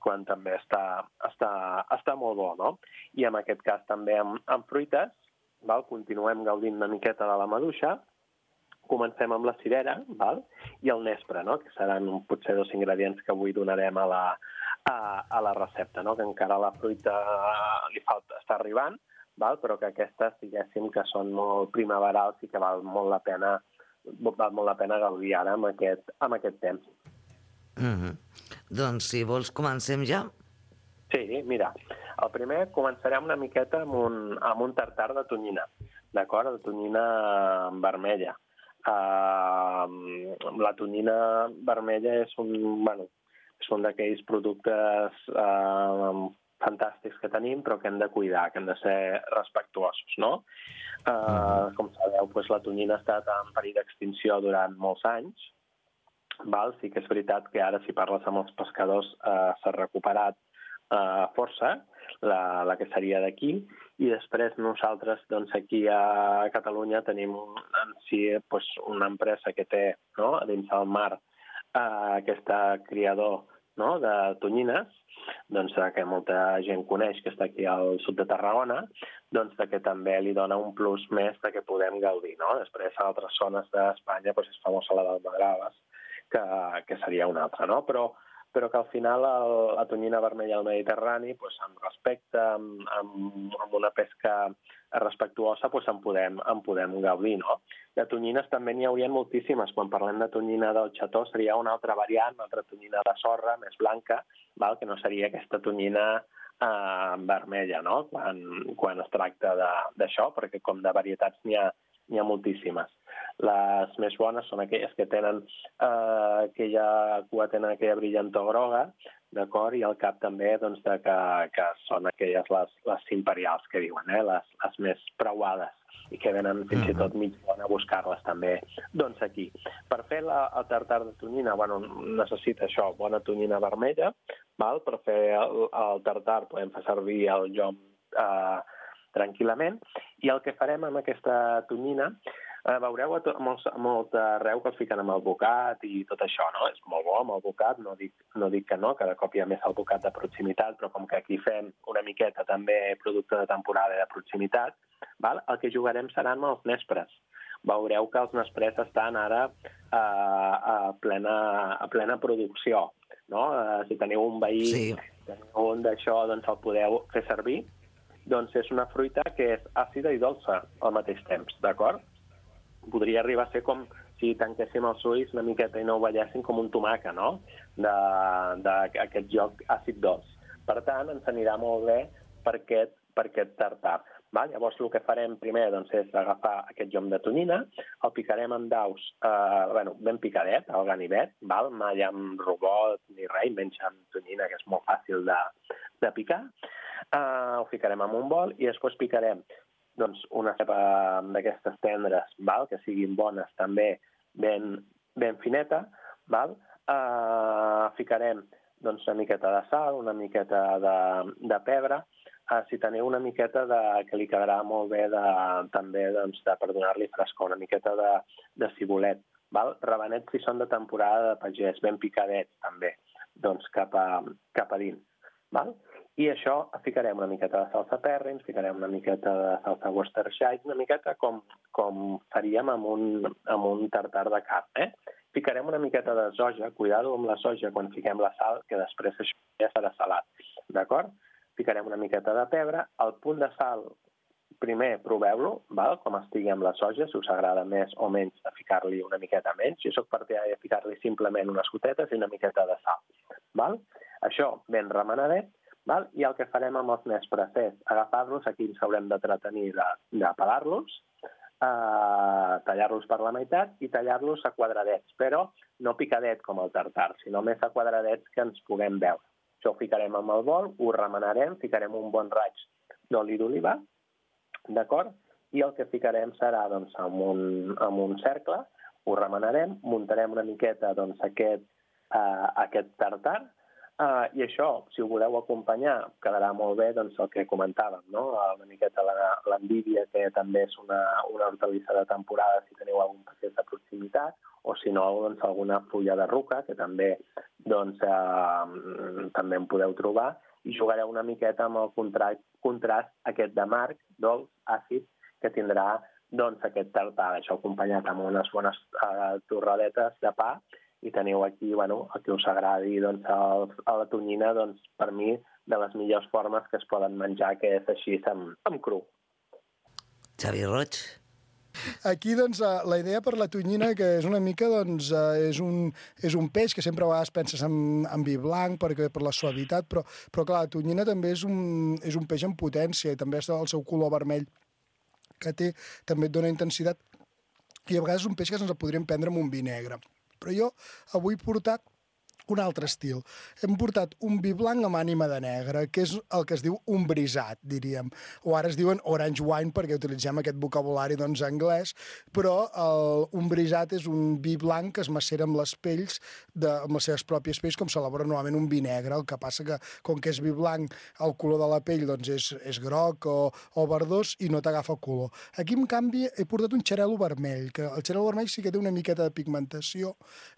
[SPEAKER 13] quan també està, està, està molt bo, no? I en aquest cas també amb, amb fruites, val? Continuem gaudint una miqueta de la maduixa, comencem amb la cirera, val? I el nespre, no? Que seran potser dos ingredients que avui donarem a la, a, a la recepta, no? Que encara la fruita li falta, està arribant, val? Però que aquestes, diguéssim, que són molt primaverals i que val molt la pena val molt la pena gaudir ara amb aquest, amb aquest temps.
[SPEAKER 3] Mm-hmm. Doncs, si vols, comencem ja?
[SPEAKER 13] Sí, mira, el primer començarem una miqueta amb un, amb un tartar de tonyina. d'acord? La tonyina vermella. Uh, la tonyina vermella és un, bueno, és un d'aquells productes uh, fantàstics que tenim, però que hem de cuidar, que hem de ser respectuosos, no? Uh, com sabeu, doncs, la tonyina ha estat en perill d'extinció durant molts anys. Val? Sí que és veritat que ara, si parles amb els pescadors, uh, s'ha recuperat uh, força, la, la que seria d'aquí, i després nosaltres, doncs, aquí a Catalunya tenim en si doncs, una empresa que té, no?, dins del mar uh, aquesta criador, no?, de tonyines, doncs, que molta gent coneix, que està aquí al sud de Tarragona, doncs que també li dona un plus més de que podem gaudir, no? Després, a altres zones d'Espanya, doncs, és famosa la d'Almadraves, que, que seria una altra, no? Però, però que al final el, la tonyina vermella al Mediterrani, doncs, amb respecte, amb, amb, amb una pesca respectuosa, doncs, en podem, en podem gaudir, no? De tonyines també n'hi haurien moltíssimes. Quan parlem de tonyina del xató seria una altra variant, una altra tonyina de sorra, més blanca, val? Que no seria aquesta tonyina eh, vermella, no?, quan, quan es tracta d'això, perquè com de varietats n'hi ha, n'hi ha moltíssimes. Les més bones són aquelles que tenen eh, aquella cua, tenen aquella brillantor groga, d'acord? I al cap també, doncs, de que, que són aquelles les, les imperials que diuen, eh? les, les més preuades, i que venen fins i tot mig bona a buscar-les també. Doncs aquí, per fer la, el tartar de tonyina, bueno, necessita això, bona tonyina vermella, val? Per fer el, el tartar podem fer servir el llom eh, tranquil·lament, i el que farem amb aquesta tonyina, eh, veureu a, to, a, molt, a molt arreu que els fiquen amb el bocat i tot això, no? És molt bo amb el bocat, no dic, no dic que no, cada cop hi ha més el bocat de proximitat, però com que aquí fem una miqueta també producte de temporada de proximitat, val? El que jugarem seran amb els nespres. Veureu que els nespres estan ara eh, a, plena, a plena producció, no? Eh, si teniu un veí, sí. teniu un d'això, doncs el podeu fer servir. Doncs és una fruita que és àcida i dolça al mateix temps, d'acord? Podria arribar a ser com si tanquéssim els ulls una miqueta i no ho veiéssim com un tomaca, no?, d'aquest joc àcid-dolç. Per tant, ens anirà molt bé per aquest, per aquest tartar. Val? Llavors, el que farem primer, doncs, és agafar aquest llom de tonyina, el picarem en daus, eh, bueno, ben picadet, al ganivet, val? Mai amb robot ni res, menys amb tonyina, que és molt fàcil de, de picar. Eh, ho ficarem en un bol i després picarem, doncs, una cepa d'aquestes tendres, val? Que siguin bones també, ben, ben fineta, val? Eh, ficarem, doncs, una miqueta de sal, una miqueta de, de pebre. Uh, si teniu una miqueta de, que li quedarà molt bé de, també, doncs, de, per donar-li frescor, una miqueta de, de cibulet, val? Rabanets si són de temporada de pagès, ben picadets també, doncs cap a, cap a dins, val? I això ficarem una miqueta de salsa Perrins, ficarem una miqueta de salsa Worcestershire, una miqueta com, com faríem amb un, amb un tartar de carn, eh? Ficarem una miqueta de soja, cuidado amb la soja quan fiquem la sal, que després això ja serà salat, d'acord? Ficarem una miqueta de pebre, el punt de sal, primer proveu-lo, val? Com estigui amb la soja, si us agrada més o menys de ficar-li una miqueta menys. Jo soc partidari de ficar-li simplement unes gotetes i una miqueta de sal. Val? Això ben remenadet, val? I el que farem amb els nespres és agafar-los, aquí ens haurem d'entretenir de, de pelar-los, eh, tallar-los per la meitat i tallar-los a quadradets, però no picadet com el tartar, sinó més a quadradets que ens puguem veure. Això ho ficarem amb el bol, ho remenarem, ficarem un bon raig d'oli d'oliva, d'acord? I el que ficarem serà, doncs, amb un, amb un cercle, ho remenarem, muntarem una miqueta, doncs, aquest, uh, aquest tartar, uh, i això, si ho voleu acompanyar, quedarà molt bé, doncs, el que comentàvem, no? Una miqueta l'endívia, que també és una, una hortalissa de temporada, si teniu algun pagès de proximitat, o si no, doncs, alguna fulla de ruca, que també, doncs, eh, també en podeu trobar, i jugareu una miqueta amb el contrast, contrast aquest d'amarg, dolç, àcid, que tindrà, doncs, aquest tartar. Això acompanyat amb unes bones eh, torradetes de pa, i teniu aquí, bueno, el que us agradi, doncs, el, a la tonyina, doncs, per mi, de les millors formes que es poden menjar, que és així, amb, amb cru.
[SPEAKER 3] Xavi Roig.
[SPEAKER 12] Aquí, doncs, la idea per la tonyina, que és una mica, doncs, és un, és un peix que sempre a vegades penses en, en vi blanc perquè, per la suavitat, però, però clar, la tonyina també és un, és un peix en potència i també és el seu color vermell que té, també et dona intensitat, i a vegades és un peix que ens el podríem prendre amb un vi negre. Però jo avui he portat un altre estil. Hem portat un vi blanc amb ànima de negre, que és el que es diu un brisat, diríem. O ara es diuen orange wine, perquè utilitzem aquest vocabulari doncs, anglès, però el, un brisat és un vi blanc que es macera amb les pells, de, amb les seves pròpies pells, com s'elabora normalment un vi negre. El que passa que, com que és vi blanc, el color de la pell doncs, és, és groc o, o verdós i no t'agafa color. Aquí, en canvi, he portat un xarel·lo vermell, que el xarel·lo vermell sí que té una miqueta de pigmentació.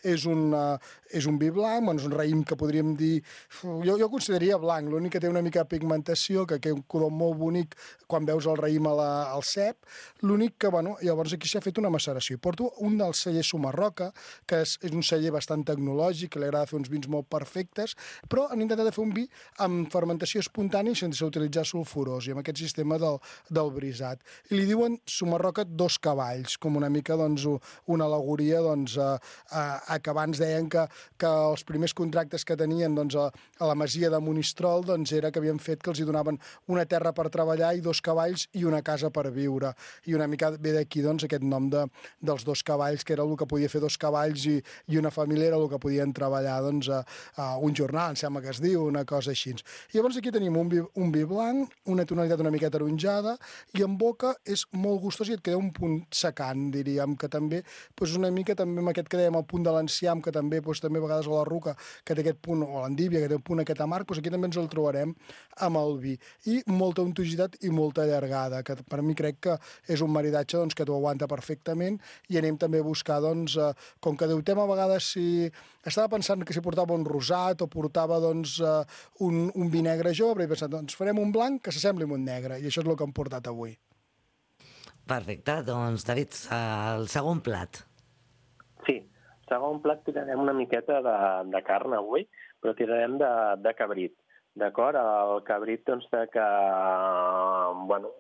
[SPEAKER 12] És un, uh, és un vi blanc, bueno, és un raïm que podríem dir... Jo, jo consideraria blanc, l'únic que té una mica de pigmentació, que té un color molt bonic quan veus el raïm a la, al cep. L'únic que, bueno, llavors aquí s'ha fet una maceració. Porto un dels cellers Sumarroca, que és, és un celler bastant tecnològic, que li agrada fer uns vins molt perfectes, però han intentat fer un vi amb fermentació espontània sense utilitzar sulfurós, i amb aquest sistema del, del brisat. I li diuen Sumarroca dos cavalls, com una mica doncs, una alegoria doncs, a, a, a que abans deien que, que els primers contractes que tenien doncs, a, a la masia de Monistrol doncs, era que havien fet que els hi donaven una terra per treballar i dos cavalls i una casa per viure. I una mica ve d'aquí doncs, aquest nom de, dels dos cavalls, que era el que podia fer dos cavalls i, i una família era el que podien treballar doncs, a, a un jornal, em sembla que es diu, una cosa així. I llavors aquí tenim un vi, un vi blanc, una tonalitat una mica taronjada, i en boca és molt gustós i et queda un punt secant, diríem, que també doncs, una mica també amb aquest que dèiem, el punt de l'enciam, que també, doncs, també a vegades a la ruca, que té aquest punt, o l'endívia, que té un punt aquest amarg, doncs aquí també ens el trobarem amb el vi. I molta untuositat i molta allargada, que per mi crec que és un maridatge doncs, que t'ho aguanta perfectament, i anem també a buscar, doncs, eh, com que deutem a vegades si... Estava pensant que si portava un rosat o portava doncs, eh, un, un vi negre jove, però he pensat, doncs farem un blanc que s'assembli a un negre, i això és el que hem portat avui.
[SPEAKER 3] Perfecte, doncs, David, el segon plat.
[SPEAKER 13] Sí, segon plat tirarem una miqueta de, de carn avui, però tirarem de, de cabrit. D'acord? El cabrit, doncs, de que, bueno,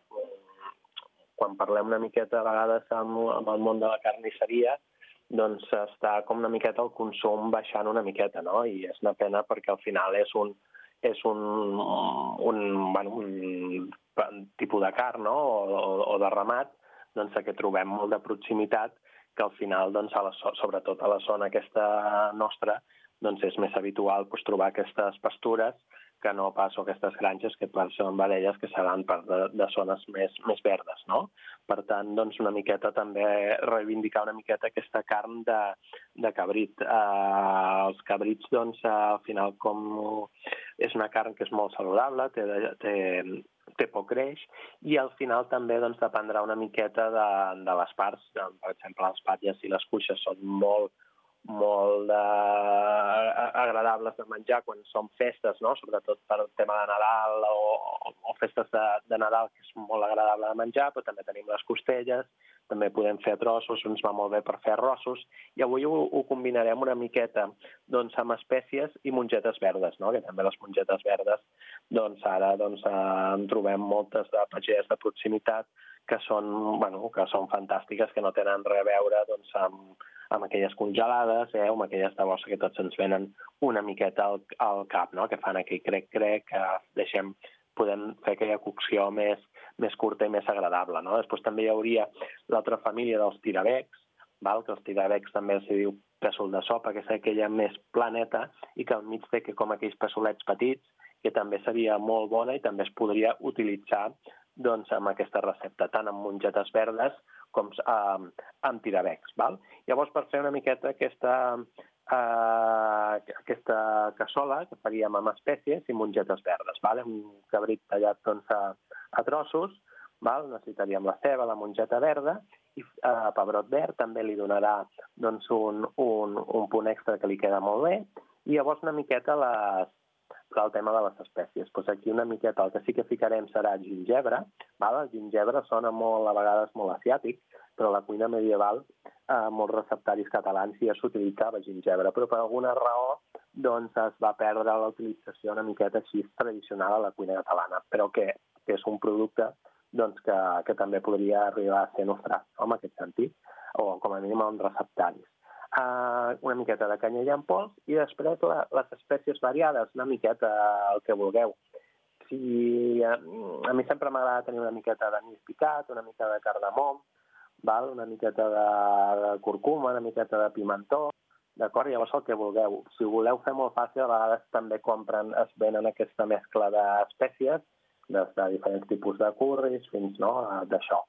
[SPEAKER 13] quan parlem una miqueta a vegades amb, amb el món de la carnisseria, doncs està com una miqueta el consum baixant una miqueta, no? I és una pena perquè al final és un, és un, un, bueno, un tipus de carn, no? o, o de ramat, doncs que trobem molt de proximitat, que al final, doncs, a la, sobretot a la zona aquesta nostra, doncs és més habitual doncs, trobar aquestes pastures que no pas o aquestes granges que són vedelles que seran part de, de zones més, més verdes, no? Per tant, doncs, una miqueta també reivindicar una miqueta aquesta carn de, de cabrit. Eh, els cabrits, doncs, al final, com és una carn que és molt saludable, té, té, té poc greix, i al final també doncs, dependrà una miqueta de, de les parts. Per exemple, les patlles i les cuixes són molt molt eh, agradables de menjar quan són festes, no? Sobretot per el tema de Nadal o, o festes de, de Nadal, que és molt agradable de menjar, però també tenim les costelles, també podem fer trossos, ens va molt bé per fer arrossos, i avui ho, ho combinarem una miqueta doncs, amb espècies i mongetes verdes, no? Que també les mongetes verdes, doncs ara doncs, eh, en trobem moltes de pageres de proximitat que són, bueno, que són fantàstiques, que no tenen res a veure doncs, amb, amb aquelles congelades, eh, o amb aquelles de bossa que tots ens venen una miqueta al, al cap, no? Que fan aquell crec-crec, que deixem, podem fer aquella cocció més, més curta i més agradable, no? Després també hi hauria l'altra família dels tirabecs, val? Que els tirabecs també els diu pèsol de sopa, que és aquella més planeta i que al mig té que com aquells pèsolets petits, que també seria molt bona i també es podria utilitzar doncs, amb aquesta recepta, tant amb mongetes verdes com eh, amb tirabecs. Val? Llavors, per fer una miqueta aquesta, eh, aquesta cassola que faríem amb espècies i mongetes verdes. Val? Un cabrit tallat doncs, a, a trossos, val? Necessitaríem la ceba, la mongeta verda, i eh, pebrot verd també li donarà doncs, un, un, un punt extra que li queda molt bé, i llavors una miqueta les el tema de les espècies. Pues aquí una miqueta el que sí que ficarem serà gingebre. Val? El gingebre sona molt, a vegades molt asiàtic, però a la cuina medieval, eh, molts receptaris catalans ja s'utilitzava gingebre, però per alguna raó doncs, es va perdre la utilització una miqueta així tradicional a la cuina catalana, però que, que és un producte doncs, que, que també podria arribar a ser nostre, no? En aquest sentit, o com a mínim en receptaris. Uh, una miqueta de canyella en pols i després la, les espècies variades, una miqueta el que vulgueu. si a, a mi sempre m'agrada tenir una miqueta d'anís picat, una mica de cardamom, val? Una miqueta de, de curcuma, una miqueta de pimentó, d'acord? Llavors el que vulgueu. Si ho voleu fer molt fàcil, a vegades també compren, es venen aquesta mescla d'espècies, des de diferents tipus de curris fins, no?, d'això,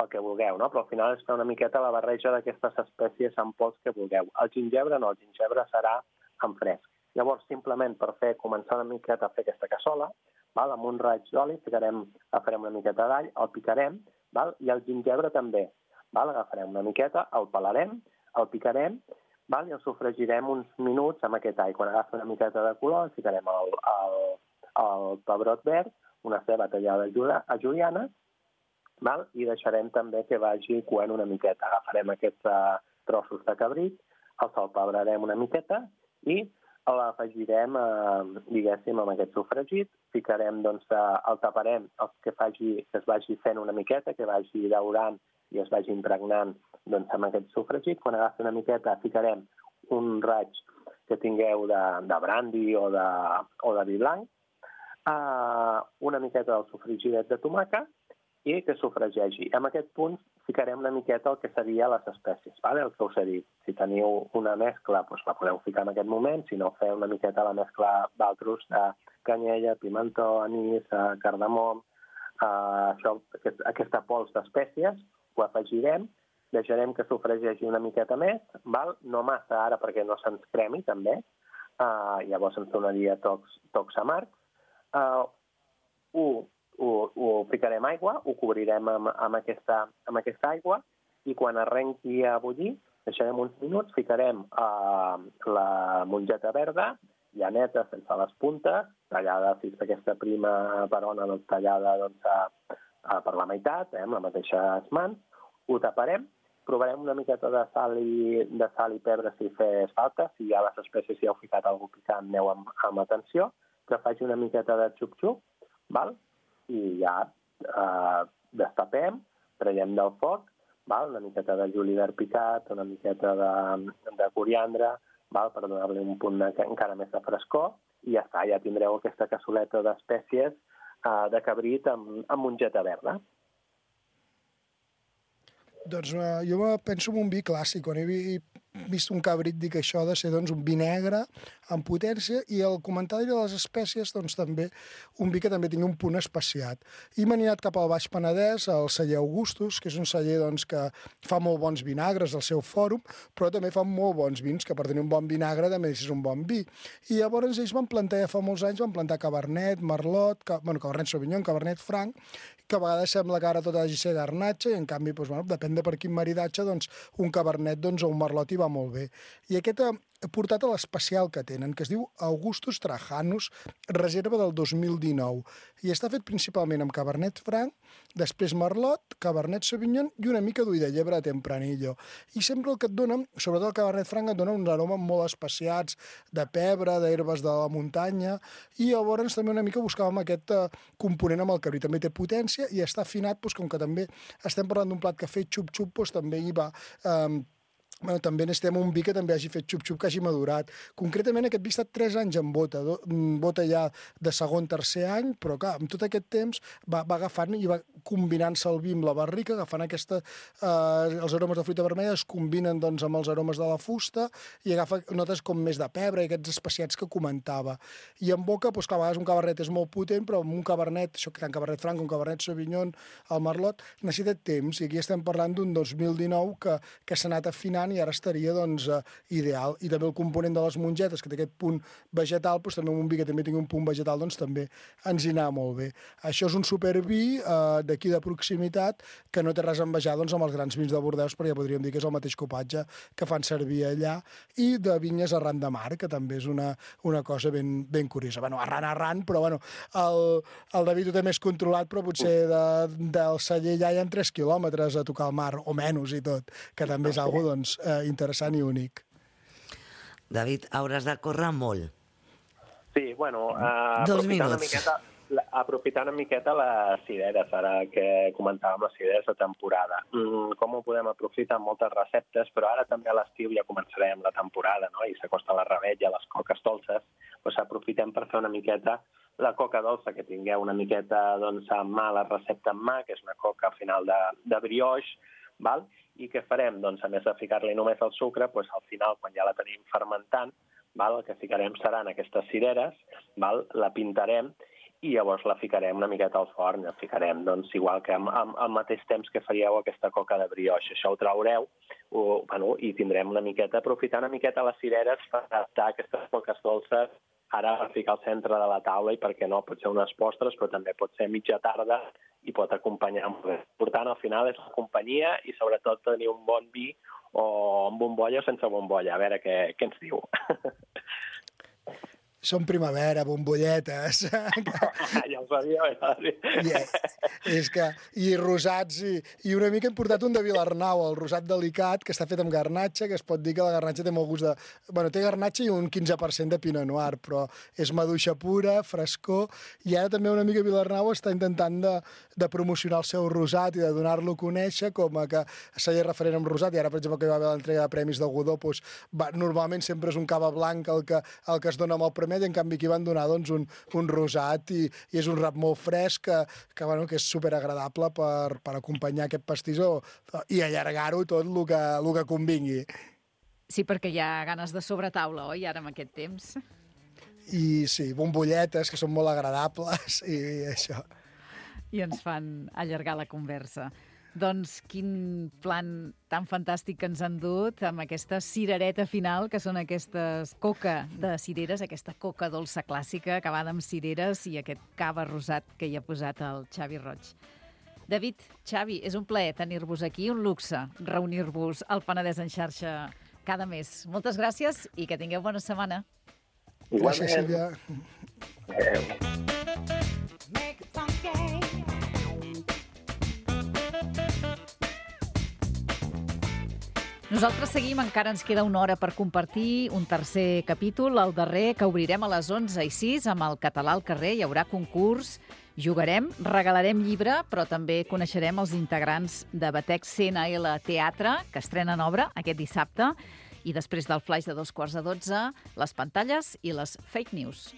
[SPEAKER 13] el que vulgueu, no? Però al final és fer una miqueta la barreja d'aquestes espècies en pols que vulgueu. El gingebre no, el gingebre serà en fresc. Llavors, simplement per fer, començar una miqueta a fer aquesta cassola, val? Amb un raig d'oli ficarem, agafarem una miqueta d'all, el picarem, val? I el gingebre també. Val? Agafarem una miqueta, el pelarem, el picarem, val? I el sofregirem uns minuts amb aquest all. Quan agafi una miqueta de color, ficarem el, el, el pebrot verd, una ceba tallada a juliana, val? I deixarem també que vagi coent una miqueta. Agafarem aquests uh, trossos de cabrit, el salpebrarem una miqueta i l'afegirem, eh, diguéssim, amb aquest sofregit, ficarem, doncs, eh, el taparem, el que, faci, que es vagi fent una miqueta, que vagi daurant i es vagi impregnant, doncs, amb aquest sofregit. Quan agafi una miqueta, ficarem un raig que tingueu de, de brandy o de, o de vi blanc, eh, una miqueta del sofregidet de tomàquet i que sofregeixi. En aquest punt ficarem una miqueta el que seria les espècies, vale? El que us he dit. Si teniu una mescla, doncs la podeu ficar en aquest moment, si no, feu una miqueta la mescla d'altres, de canyella, pimentó, anís, cardamom, eh, això, aquest, aquesta pols d'espècies, ho afegirem, deixarem que sofregeixi una miqueta més, val? No massa ara perquè no se'ns cremi també, eh, llavors ens donaria tocs, tocs amargs. Eh, ho Ho, ho ficarem aigua, ho cobrirem amb, amb, aquesta, amb aquesta aigua i quan arrenqui a bullir, deixarem uns minuts, ficarem uh, la mongeta verda, ja neta, sense les puntes, tallada, si és aquesta prima perona, doncs, tallada doncs, a, a, per la meitat, eh, amb les mateixes mans, ho taparem, provarem una miqueta de sal i, de sal i pebre si fes falta, si hi ha les espècies, si heu ficat alguna picant, aneu amb, amb atenció, que faci una miqueta de xup-xup, val? I ja eh, destapem, traiem del foc, val? Una miqueta de julivert picat, una miqueta de, de coriandre, val? Per donar-li un punt de, encara més de frescor, i ja està, ja tindreu aquesta cassoleta d'espècies eh, de cabrit amb, amb mongeta verda.
[SPEAKER 12] Doncs uh, jo penso en un vi clàssic. Quan he vist un cabrit dic que això ha de ser doncs, un vi negre amb potència i el comentari de les espècies doncs, també un vi que també tingui un punt especiat. I m'he anat cap al Baix Penedès, al celler Augustus, que és un celler doncs, que fa molt bons vinagres al seu fòrum, però també fa molt bons vins, que per tenir un bon vinagre també és un bon vi. I llavors ells van plantar, ja fa molts anys, van plantar Cabernet, Merlot, ca... bueno, Cabernet Sauvignon, Cabernet Franc, que a vegades sembla que ara tot hagi de ser garnatxa i en canvi, doncs, bueno, depèn de per quin maridatge, doncs, un Cabernet doncs, o un Merlot hi va molt bé. I aquest ha portat a l'especial que tenen, que es diu Augustus Trajanus, reserva del dos mil dinou. I està fet principalment amb Cabernet Franc, després Merlot, Cabernet Sauvignon i una mica d'ull de llebre de Tempranillo. I sempre el que et dona, sobretot el Cabernet Franc, et dona uns aromes molt especiats, de pebre, d'herbes de la muntanya, i llavors també una mica buscàvem aquest uh, component amb el cabrit. També té potència i està afinat, doncs, com que també estem parlant d'un plat que ha fet xup-xup, doncs també hi va... Um, Bueno, també necessitem un vi que també hagi fet xup-xup, que hagi madurat. Concretament, aquest vi ha estat tres anys en bota, do, bota ja de segon, tercer any, però clar, amb tot aquest temps va, va agafant i va combinant-se el vi amb la barrica, agafant aquesta... Eh, els aromes de fruita vermella es combinen doncs, amb els aromes de la fusta i agafa notes com més de pebre i aquests especiats que comentava. I en boca, doncs, clar, a vegades un cabernet és molt potent, però amb un cabernet, això que tant cabernet franc, un cabernet sauvignon, el merlot, necessita temps. I aquí estem parlant d'un dos mil dinou que, que s'ha anat afinant i ara estaria doncs, uh, ideal. I també el component de les mongetes, que té aquest punt vegetal, doncs també un vi que també tingui un punt vegetal, doncs també ens hi anava molt bé. Això és un supervi uh, d'aquí de proximitat que no té res a envejar doncs, amb els grans vins de Bordeus, perquè podríem dir que és el mateix copatge que fan servir allà, i de vinyes arran de mar, que també és una, una cosa ben, ben curiosa. Bueno, arran, arran, però bueno, el, el David ho té més controlat, però potser de, del celler allà hi ha tres quilòmetres a tocar el mar, o menys i tot, que també és algo, doncs, Eh, interessant i únic.
[SPEAKER 3] David, hauràs de córrer molt.
[SPEAKER 13] Sí, bueno, uh,
[SPEAKER 3] Dos
[SPEAKER 13] aprofitar,
[SPEAKER 3] minuts.
[SPEAKER 13] una miqueta, la, aprofitar una miqueta les cireres, ara que comentàvem les cireres de temporada. Mm, com ho podem aprofitar amb moltes receptes, però ara també a l'estiu ja començarem la temporada, no? I s'acosta la rebetlla, les coques dolces, doncs aprofitem per fer una miqueta la coca dolça, que tingueu una miqueta doncs, a mà, la recepta en mà, que és una coca al final de, de brioix, val? I què farem? Doncs, a més de ficar-li només el sucre, doncs, al final, quan ja la tenim fermentant, val? El que ficarem seran aquestes cireres, val? La pintarem i llavors la ficarem una miqueta al forn. La ficarem, doncs, igual que al mateix temps que faríeu aquesta coca de brioix. Això ho traureu o, bueno, i tindrem una miqueta, aprofitar una miqueta les cireres per adaptar aquestes coques dolces ara a ficar al centre de la taula i, per què no, pot ser unes postres, però també pot ser mitja tarda i pot acompanyar. L'important al final és la companyia i sobretot tenir un bon vi o amb bombolla o sense bombolla. A veure què, què ens diu.
[SPEAKER 12] Som primavera, bombolletes.
[SPEAKER 13] Ja ho sabia. Ja ho
[SPEAKER 12] yeah. És que, i rosats, i, i una mica hem portat un de Vilarnau, el rosat delicat, que està fet amb garnatxa, que es pot dir que la garnatxa té molt gust de... Bueno, té garnatxa i un quinze per cent de pinot noir, però és maduixa pura, frescor, i ara també una mica Vilarnau està intentant de, de promocionar el seu rosat i de donar-lo a conèixer com a que seria referent amb rosat, i ara, per exemple, que hi va haver l'entrega de premis de Godó, doncs, va, normalment sempre és un cava blanc el que, el que es dona amb el premi, i en canvi aquí van donar doncs, un, un rosat i, i és un rap molt fresc que, que, bueno, que és superagradable per, per acompanyar aquest pastís i allargar-ho tot el que, el que convingui.
[SPEAKER 2] Sí, perquè hi ha ganes de sobretaula, oi, ara en aquest temps?
[SPEAKER 12] I sí, bombolletes, que són molt agradables i això.
[SPEAKER 2] I ens fan allargar la conversa. Doncs quin plan tan fantàstic que ens han dut amb aquesta cirereta final, que són aquestes coca de cireres, aquesta coca dolça clàssica acabada amb cireres i aquest cava rosat que hi ha posat el Xavi Roig. David, Xavi, és un plaer tenir-vos aquí, un luxe reunir-vos al Penedès en xarxa cada mes. Moltes gràcies i que tingueu bona setmana.
[SPEAKER 12] Gràcies, Sílvia.
[SPEAKER 2] Nosaltres seguim, encara ens queda una hora per compartir un tercer capítol, el darrer, que obrirem a les onze i sis amb el Català al carrer. Hi haurà concurs, jugarem, regalarem llibre, però també coneixerem els integrants de Batec C N L Teatre, que estrenen obra aquest dissabte, i després del flaix de dos quarts de dotze, les pantalles i les fake news.